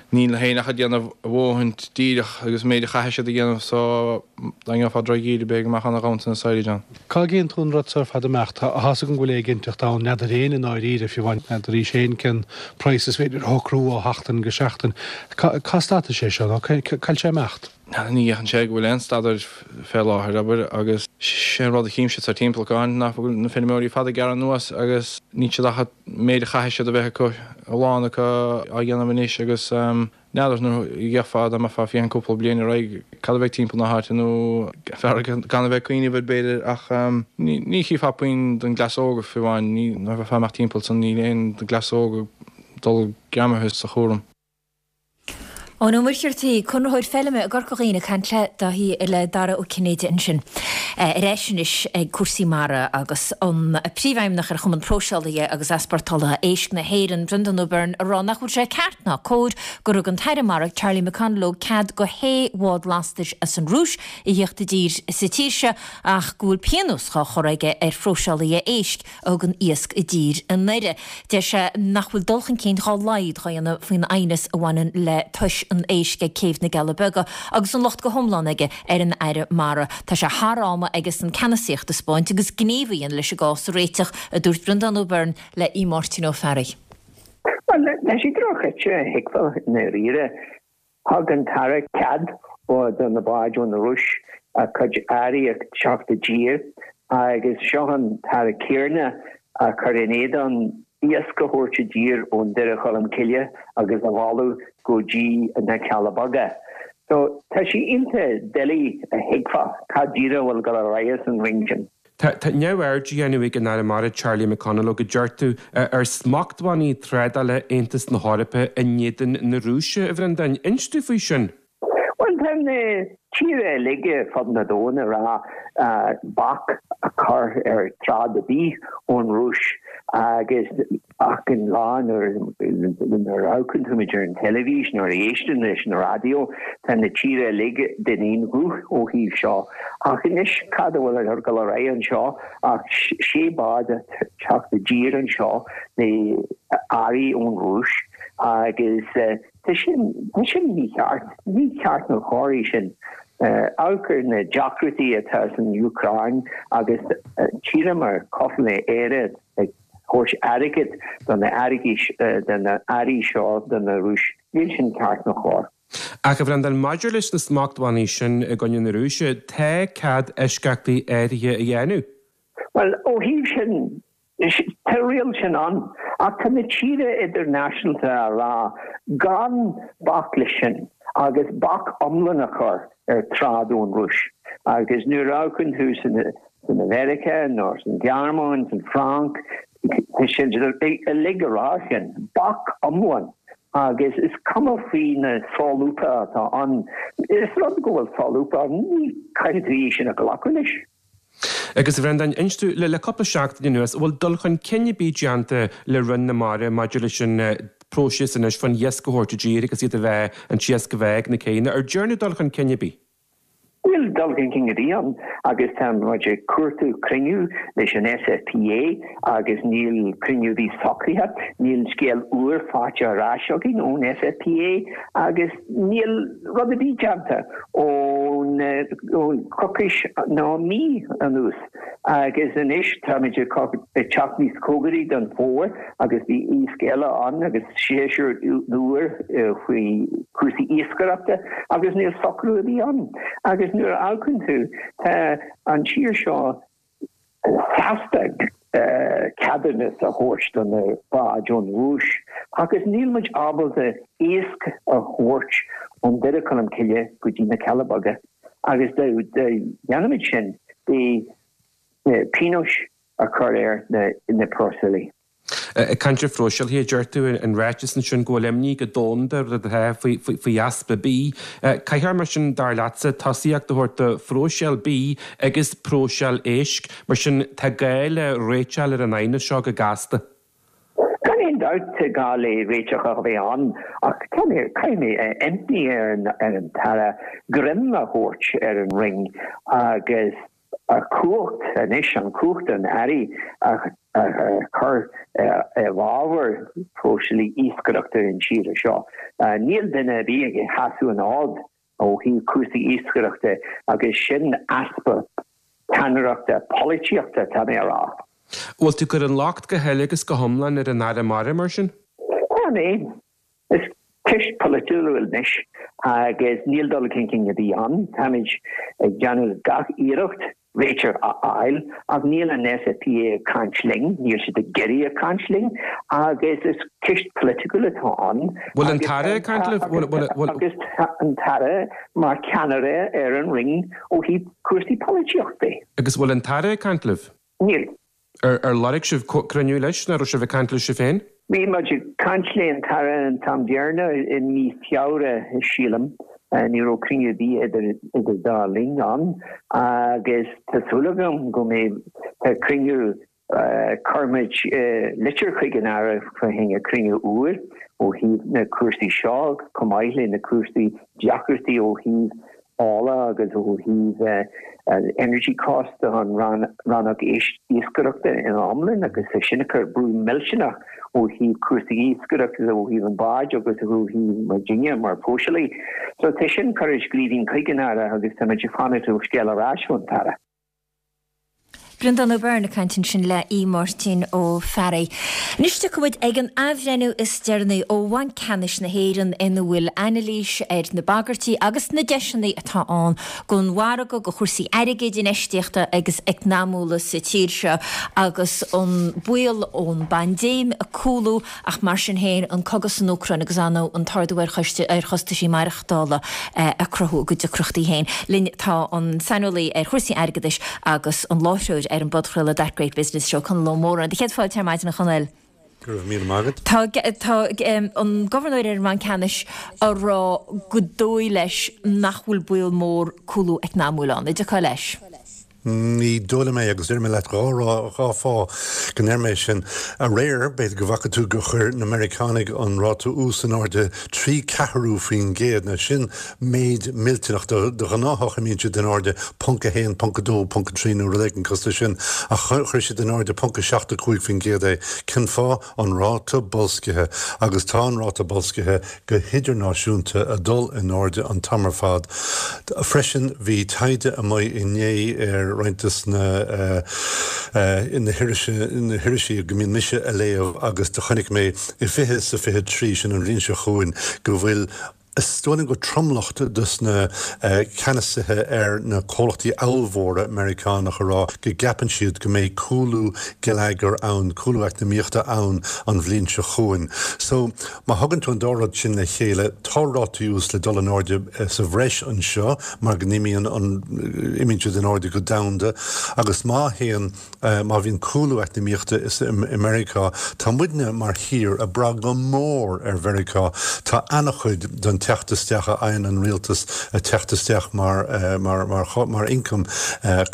Speaker 11: níl féin ach ag déanamh a ndóthain díreach agus an méid a chaithfidh siad a dhéanamh so dá ngeofá drochgheimhreadh b'fhéidir go mbeadh ana-ghanntanas silage ann.
Speaker 12: Cá gcíonn tú an rud seo ar fad ag imeacht? Tá's agam go bhfuil éiginnteacht ann, n'fheadar éinne i ndáiríre, fiú amháin n'fheadaraís féin cén praghas is féidir a shocrú ó sheachtain go seachtain. Cá stadfaidh sé seo nó cá bhfuil sé ag imeacht?
Speaker 11: Ní fhéachann sé go bhfuil aon stad air fé láthair, abair, agus sé an rud a chímse thart timpeall go háirithe ná go bhfuil na feirmeoirí fada ag gearradh anuas agus níl siad ach an méid a chaithfidh siad a bheith acu, a lán acu á dhéanamh anois agus n'fheadar nuair a gheofá, dá mbeifeá ag féachaint cúpla bliain ar aghaidh, cad a bheidh timpeall na háite nó fearr gan a bheith ag cuimhneamh air b'fhéidir ach ní chífeá puinn den gcleas óg fiú amháin, ní, nuair a bheifeá ag imeacht timpeall san níl aon den gcleas óg ag dul greamaithe sa chúram.
Speaker 1: Eoin Ó Muircheartaigh, Conraitheoir Feilme i gCorca Dhuibhne ag caint le Dáithí le Dara Ó Cinnéide ansin. Ar ais anois ag cúrsaí mara agus an Príomhfheidhmeannach ar Chumann Próiseálaithe agus Easpórtálaithe Éisc na hÉireann, Brendan O'Byrne, ag rá nach bhfuil sé ceart ná cóir gur thug an tAire Mara, Charlie McConalogue cead do shé bhád lastais as an Rúis a thíocht i dtír sa tír seo ach go bhfuil pionós dhá chur aige ar phróiseálaithe éisc a thugann iasc i dtír anoir. Deir sé nach bhfuil dul chun cinn dhá laghad dhá dhéanamh faoin aighneas a bhaineann le tois an éisc ag Céibh na gCealla Beaga agus an locht go hiomlán aige ar an Aire Mara. Tá sé thar am aigesan ceannasaíocht a 'spáint agus gníomh a dhéanamh leis an gcás a réiteach, a dúirt Breandán O'Byrne le Aodh Máirtín Ó Fearraigh.
Speaker 13: Bhuel, tá sé drochíte a thuigbheáil i ndáiríre. Thug an tAire cead do na báid ón Rúis a cuid earraí a teacht i dtír agus seo an tAire céanna a chur in éadan iasc a thabhairt i dtír ón Doire Cholm Cille agus a mhealladh go dtí na Cealla Beaga. So tá sé iontach doiligh a thuigbheáil cad díreach a bhfuil ag dul ar aghaidh san Roinn sin.
Speaker 10: Tá neamhaird á dhéanamh ag an Aire Mara Charlie McConalogue, a deir tú, ar smachtbhannaí trádála Aontas na hEorpa in éadan na Rúise, a Bhreandáin. Inis domh faoi sin.
Speaker 13: Bhuel, tá na tíortha uilig ar fud na domhain ag rá bac a chur ar trád ar bith ón Rúis agus achan lá nuair a amharcann tú muid ar an teilifís nuair a éisteann leis an raidió, tá na tíortha uilig den aon ghuth ó thaobh seo. Ach anois cad a bhfuil ag dul ar aghaidh anseo ach sé bád ag teacht i dtír anseo le earraí ón Rúis agus tá sin, tá sin mícheart. Ní ceart ná cóir é sin. Amharc ar na deacrachtaí atá san Úcráin agus tíortha mar cosúil le Éire ag thabhairt airgead do na airgí do na earraí seo do na Rúis. Níl sin ceart ná cóir.
Speaker 10: Ach a Bhreandáin, maidir leis na smachtbhannaí sin i gcoinne na Rúise, tá cead eisceachtaí áirithe a dhéanamh.
Speaker 13: Bhuel, ó thaobh sin, tá riail sin ann, ach tá na tíortha idirnáisiúnta á rá gan bac leis sin agus bac iomlán a chur ar trád ón Rúis. Agus nuair a amharcann tú san san Mheiriceá nó san Ghearmáin, san Fhrainc, tá siad uilig ag rá sin, bac iomlán agus is cuma faoi na solúbtha atá ann. Is rud go bhfuil solúbtha ann, ní caithfidh tú é sin a ghlacadh leis.
Speaker 10: Agus a Bhreandáin, inis domh, le cúpla seachtain anuas, an bhfuil dul chun cinn ar bith déanta le Roinn na Mara maidir leis an bpróiseas anois fán iasc a thabhairt i dtír agus iad a bheith, an t-iasc a bheith ag na céanna? Ar dearnadh dul chun cinn ar bith?
Speaker 13: Níl dul chun cinn ar bith ann agus tá muid ag cuartú cruinniú leis an SFPA agus níl cruinniú ar bith socraithe. Níl scéal úr faighte ar ais againn ón SFPA agus níl rud ar bith déanta ón coicís nó mí anuas. Agus anois táimid ag teacht níos cóngaraí don fómhar agus bhí iasc eile ann agus séasúr úr faoi chúrsaí iascaireachta agus níl socrú ar bith ann. Agus nuair a amharcann tú, tá an tír seo sásta ceadúnas a thabhairt do na báid ón Rúis agus níl muid ábalta iasc a thabhairt ón Doire Cholm Cille go dtí na Cealla Beaga. Agus dá dhéanfaimid sin, beidh pionóis á chur ar na próiseálaithe.
Speaker 10: Ag caint ar phróiseálaithe, deir tú in ráiteas ansin go bhfuil imní go domhanda rud atá faoi easpa bídh. Caithfear mar sin, dar leatsa, tosaíocht a thabhairt do phróiseáil bídh agus próiseáil éisc. Mar sin, tá gá le réiteáil ar an aighneas seo go gasta.
Speaker 13: Gan aon dabht tá gá le réiteach a bheith ann ach caithfidh mé impí ar an tAire greim a thabhairt ar an Roinn agus a chumhacht anois, an chumhacht an Aire a chur i bhfabhar próiseálaí iascaireachta an tíre seo. Níl duine ar bith ag seasamh an fhóid ó thaobh cúrsaí iascaireachta agus sin easpa ceannaireachta polaitíochta, tá mé a rá.
Speaker 10: Bhfuil tú ag cur an locht go huile agus go hiomlán ar an Aire Mara mar sin?
Speaker 13: Tá mé. Is ceist polaitiúil anois agus níl dul chun cinn ar bith ann. Táimid ag déanamh gach iarracht réiteach a fháil ach níl an SFPA ag caint linn, níl siad ag iarraidh ag caint linn agus is ceist polaitiúil atá ann.
Speaker 10: Bhfuil an tAire ag caint libh?
Speaker 13: Agus tá an tAire mar cheannaire ar an Roinn ó thaobh cúrsaí polaitíochta.
Speaker 10: Agus bhfuil an tAire ag caint libh?
Speaker 13: Níl.
Speaker 10: Ar lorg sibh cruinniú leis nó raibh sibh ag caint leis sibh féin?
Speaker 13: Bhí muid ag caint le an tAire an t-am deireanach i mí Feabhra, sílim. Ní raibh cruinniú ar bith idir idir dá linn ann agus tá súil agam go mbeidh cruinniú Chuir muid litir chuig an Aire fá choinne cruinniú úr ó thaobh na cúrsaí seo, chomh maith le na cúrsaí deacrachtaí ó thaobh ola agus ó thaobh energy cost don rannóg iascaireachta ina iomlán agus é sin ag cur brú millteanach ó thaobh cúrsaí iascaireachta ó thaobh an báid agus ó thaobh muidinne mar phróiseálaí. So tá sin curtha i scríbhinn chuig an Aire agus tá muid ag fanacht ó scéal ar ais ón tAire.
Speaker 1: Breandán Ó Beirn ag caint ansin le Aodh Máirtín Ó Fearraigh. Anois tiocfaidh muid ag an athbhreithniú is deireanaí ó Bhanc Ceannais na hÉireann ina bhfuil anailís ar na bagairtí agus na deiseanna atá ann don mhargadh, do chúrsaí airgid, infheistíochta agus eacnamúla sa tír seo agus an baol ón bpaindéim ag cúlú Ach mar sin féin, an cogadh san Úcráin agus ar ndóigh an t-ardú ar chostaisí maireachtála ag cruthú a gcuid deacrachtaí féin. Linn tá an saineolaí ar chúrsaí airgeadais agus an láithreoir ar an bpodchraoladh That Great Business Show, Conall Ó Móráin. Do chéad fáilte ar maidin, a Chonaill.
Speaker 14: Go raibh míle maith agat.
Speaker 1: Tá tá an Gobharnóir ar an mBanc Ceannais a rá go dóigh leis nach bhfuil baol mór cúlú eacnamúil ann. An dtiocfá leis?
Speaker 14: Ní dóigh liom é, agus déarfaidh mé leat 2 fáth go ndeir mé sin. Aréir, b'fhéidir go bhfaca tú gur chuir na Meiriceánaigh an ráta ús in airde 0.75%. Now sin méid millteanach. De ghnáthach imíonn siad in airde ponc 1, ponc 2, ponc 3 nó rud éigin cosúil leis sin, ach chuir siad in airde ponc 75% é. Cén fáth? An ráta boilscithe. Agus tá an ráta boilscithe go hidirnáisiúnta ag dul in airde an t-am ar fad. Freisin bhí taighde amuigh inné ar roinnt des na na hirisí go mbíonn mise a léamh agus do chonaic mé i 20 is a 23, sin an bhliain seo chugainn, go bhfuil Is dóigh liom gur tromlach dos na ceannasaithe ar na comhlachtaí ollmhóra Meiriceánach a rá go gceapann siad go mbeidh cúlú geilleagair ann, cúlú eacnamaíochta ann an bhliain seo chugainn. So, má thugann tú an dá rud sin le chéile, tá rátaí ús le dul in airde sa bhreis anseo mar go n-imíonn an, imíonn siad in airde go domhanda agus má théann, Má bhíonn cúlú eacnamaíochta i Meiriceá, tá muidne mar thír ag brath go mór ar Mheiriceá. Tá an-chuid den teacht isteach a fhaigheann an rialtas ag teacht isteach mar mar ioncam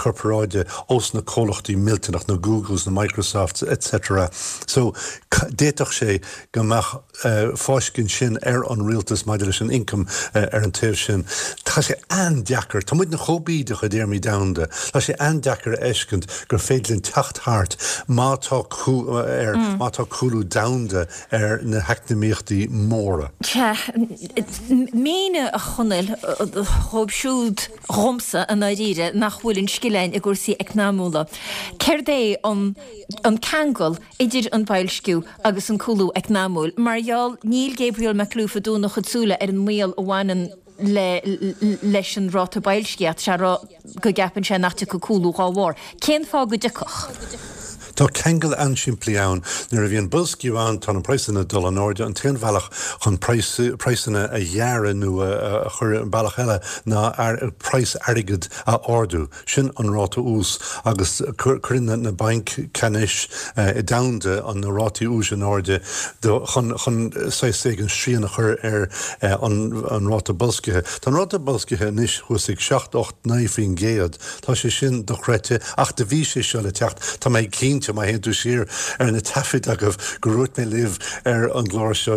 Speaker 14: corparáide ós na comhlachtaí millteanach, na Googles, na Microsofts etc. So d'fhéadfadh sé go mbeadh fáiscint sin ar an rialtas maidir leis an ioncam ar an taobh sin. Tá sé an-deacair, tá muidne chomh bídeach i dtéarmaí domhanda, tá sé an-deacair a fheiscint gur féidir linn teacht thart má tá ar má tá cúlú domhanda ar na heacnamaíochtaí móra.
Speaker 1: Sea, mínigh a Chonaill dhóibh siúd, dhomsa i ndáiríre, nach bhfuil an scil againn i gcúrsaí eacnamúla, céard é an ceangal idir an boilsciú agus an cúlú eacnamúil. Mar gheall, níl Gabriel Makhlouf ag dúnadh a chuid súile ar an mbaol a bhaineann le leis an ráta boilscithe, ach tá sé ag rá go gceapann sé nach dtiocfaidh cúlú dhá bharr. Cén fáth go dtiocfadh?
Speaker 14: Tá ceangal an-simplí ann. Nuair a bhíonn boilsciú ann, tá na praghsanna ag dul in airde. An t-aon bhealach chun praghsanna a ghearradh nó a chur i mbealach eile ná praghas airgid a ardú. Sin an ráta ús agus cuireann na bainc ceannais domhanda na rátaí úis in airde chun chun saghas éigin srian a chur ar an ráta boilscithe. Tá an ráta boilscithe anois thuas ag 7, 8, 9%. Tá sé sin dochreidte ach do bhí sé seo le teacht. Tá mé cinnte, má théann tú siar ar na taifid agaibh, go ndúirt mé libh ar an gclár seo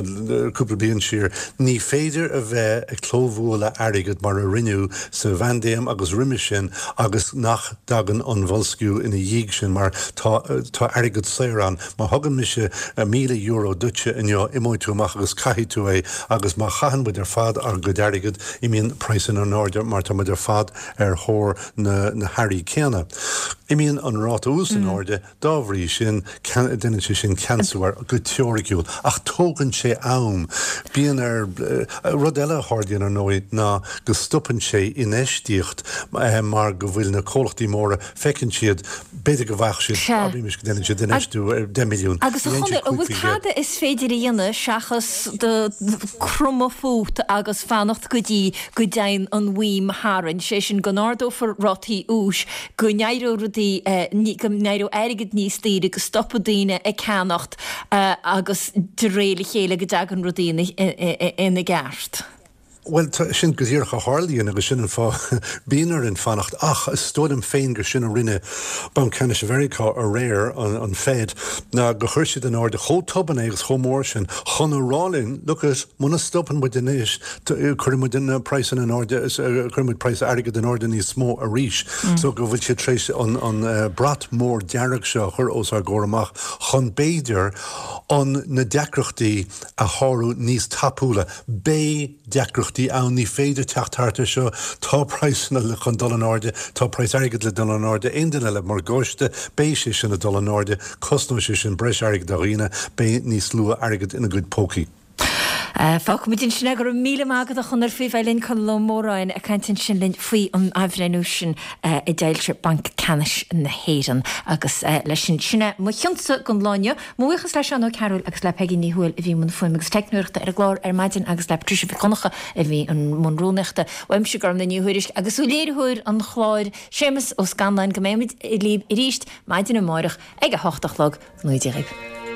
Speaker 14: cúpla bliain siar, ní féidir a bheith ag clóbhualadh airgid mar a rinneadh sa bpaindéim agus roimis sin agus nach dtagann an boilsciú ina dhiaidh sin mar tá tá airgead saor ann. Má thugann mise €1,000 duitse inniu imeoidh tú amach agus caithfidh tú é agus má chaitheann muid ar fad ár gcuid airgid imíonn praghsanna in airde mar tá muid ar fad ar thóir na na hearraí céanna. Imíonn an ráta ús in airde Dá bhrí sin, déanann sé sin ceansú air, go teoiriciúil. Ach tógann sé am. Bíonn ar. Rud eile a tharlaíonn, ar ndóigh, ná go stopann sé infheistíocht mar go bhfuil na comhlachtaí móra, feiceann siad, b'fhéidir go bhfaigheadh siad, abraimis go ndéanann siad infheistiú ar 10 milliún,
Speaker 1: Agus a
Speaker 14: ní
Speaker 1: Chonaill, an bhfuil
Speaker 14: dhéanann siad 5%.
Speaker 1: tada is féidir a dhéanamh seachas do cromadh fút agus fanacht go dtí go dtéann an bhuím tharainn, sé sin go n-ardófar rátaí úis, go n-éireoidh rudaí, go n-éireoidh airgead níos. níos daoire, go stopfaidh daoine ag ceannacht agus de réir a chéile go dtagann rudaí ina gceart.
Speaker 14: Bhuel, sin go díreach a tharlaíonn agus sin an fáth bíonn orainn fanacht. Ach is dóigh liom féin gur sin a rinne Banc Ceannais Mheiriceá aréir, an Fed, ná gur chuir siad in airde chomh tobann é agus chomh mór sin chun a rá linn, look it, muna stopann muid anois, cuirfidh muid na praghsanna in airde, cuirfidh muid praghas airgid in airde níos mó arís. So go bhfuil siad tar éis an brat mór dearg seo a chur os ár gcomhair amach chun b'fhéidir an na deacrachtaí a shárú níos tapúla. Beidh deacrachtaí ann, ní féidir teacht thart ar seo, tá praghsanna le chun dul in airde, tá praghas airgid le dul in airde, aon duine le morgáiste, beidh sé sin ag dul in airde, cosnóidh sé sin breis airgid do dhaoine, beidh níos lú airgid ina gcuid pócaí.
Speaker 1: Fágfaimid ansin é. Go raibh míle maith agat a Chonaill faoi bheith linn, Conall Ó Móráin ag caint ansin linn faoi an athbhreithniú sin a d'fhoilsigh Banc Ceannais na hÉireann. Agus leis sin, sin é mo chionsa don lá inniu. Mo bhuíochas le Seán Ó Cearúil agus le Peigí Ní Thuathail a bhí i mbun fuaime agus teicneoireachta ar an gclár ar maidin agus le Patricia Mhic Dhonncha a bhí i mbun rúnaíochta. Uaimse Gormlaith Ní Thuairisg agus ó léiritheoir an chláir, Séamus Ó Scanláin, go mbeimid libh arís maidin amárach ag a hocht a chlog. Go ngnóthaí Dia dhaoibh.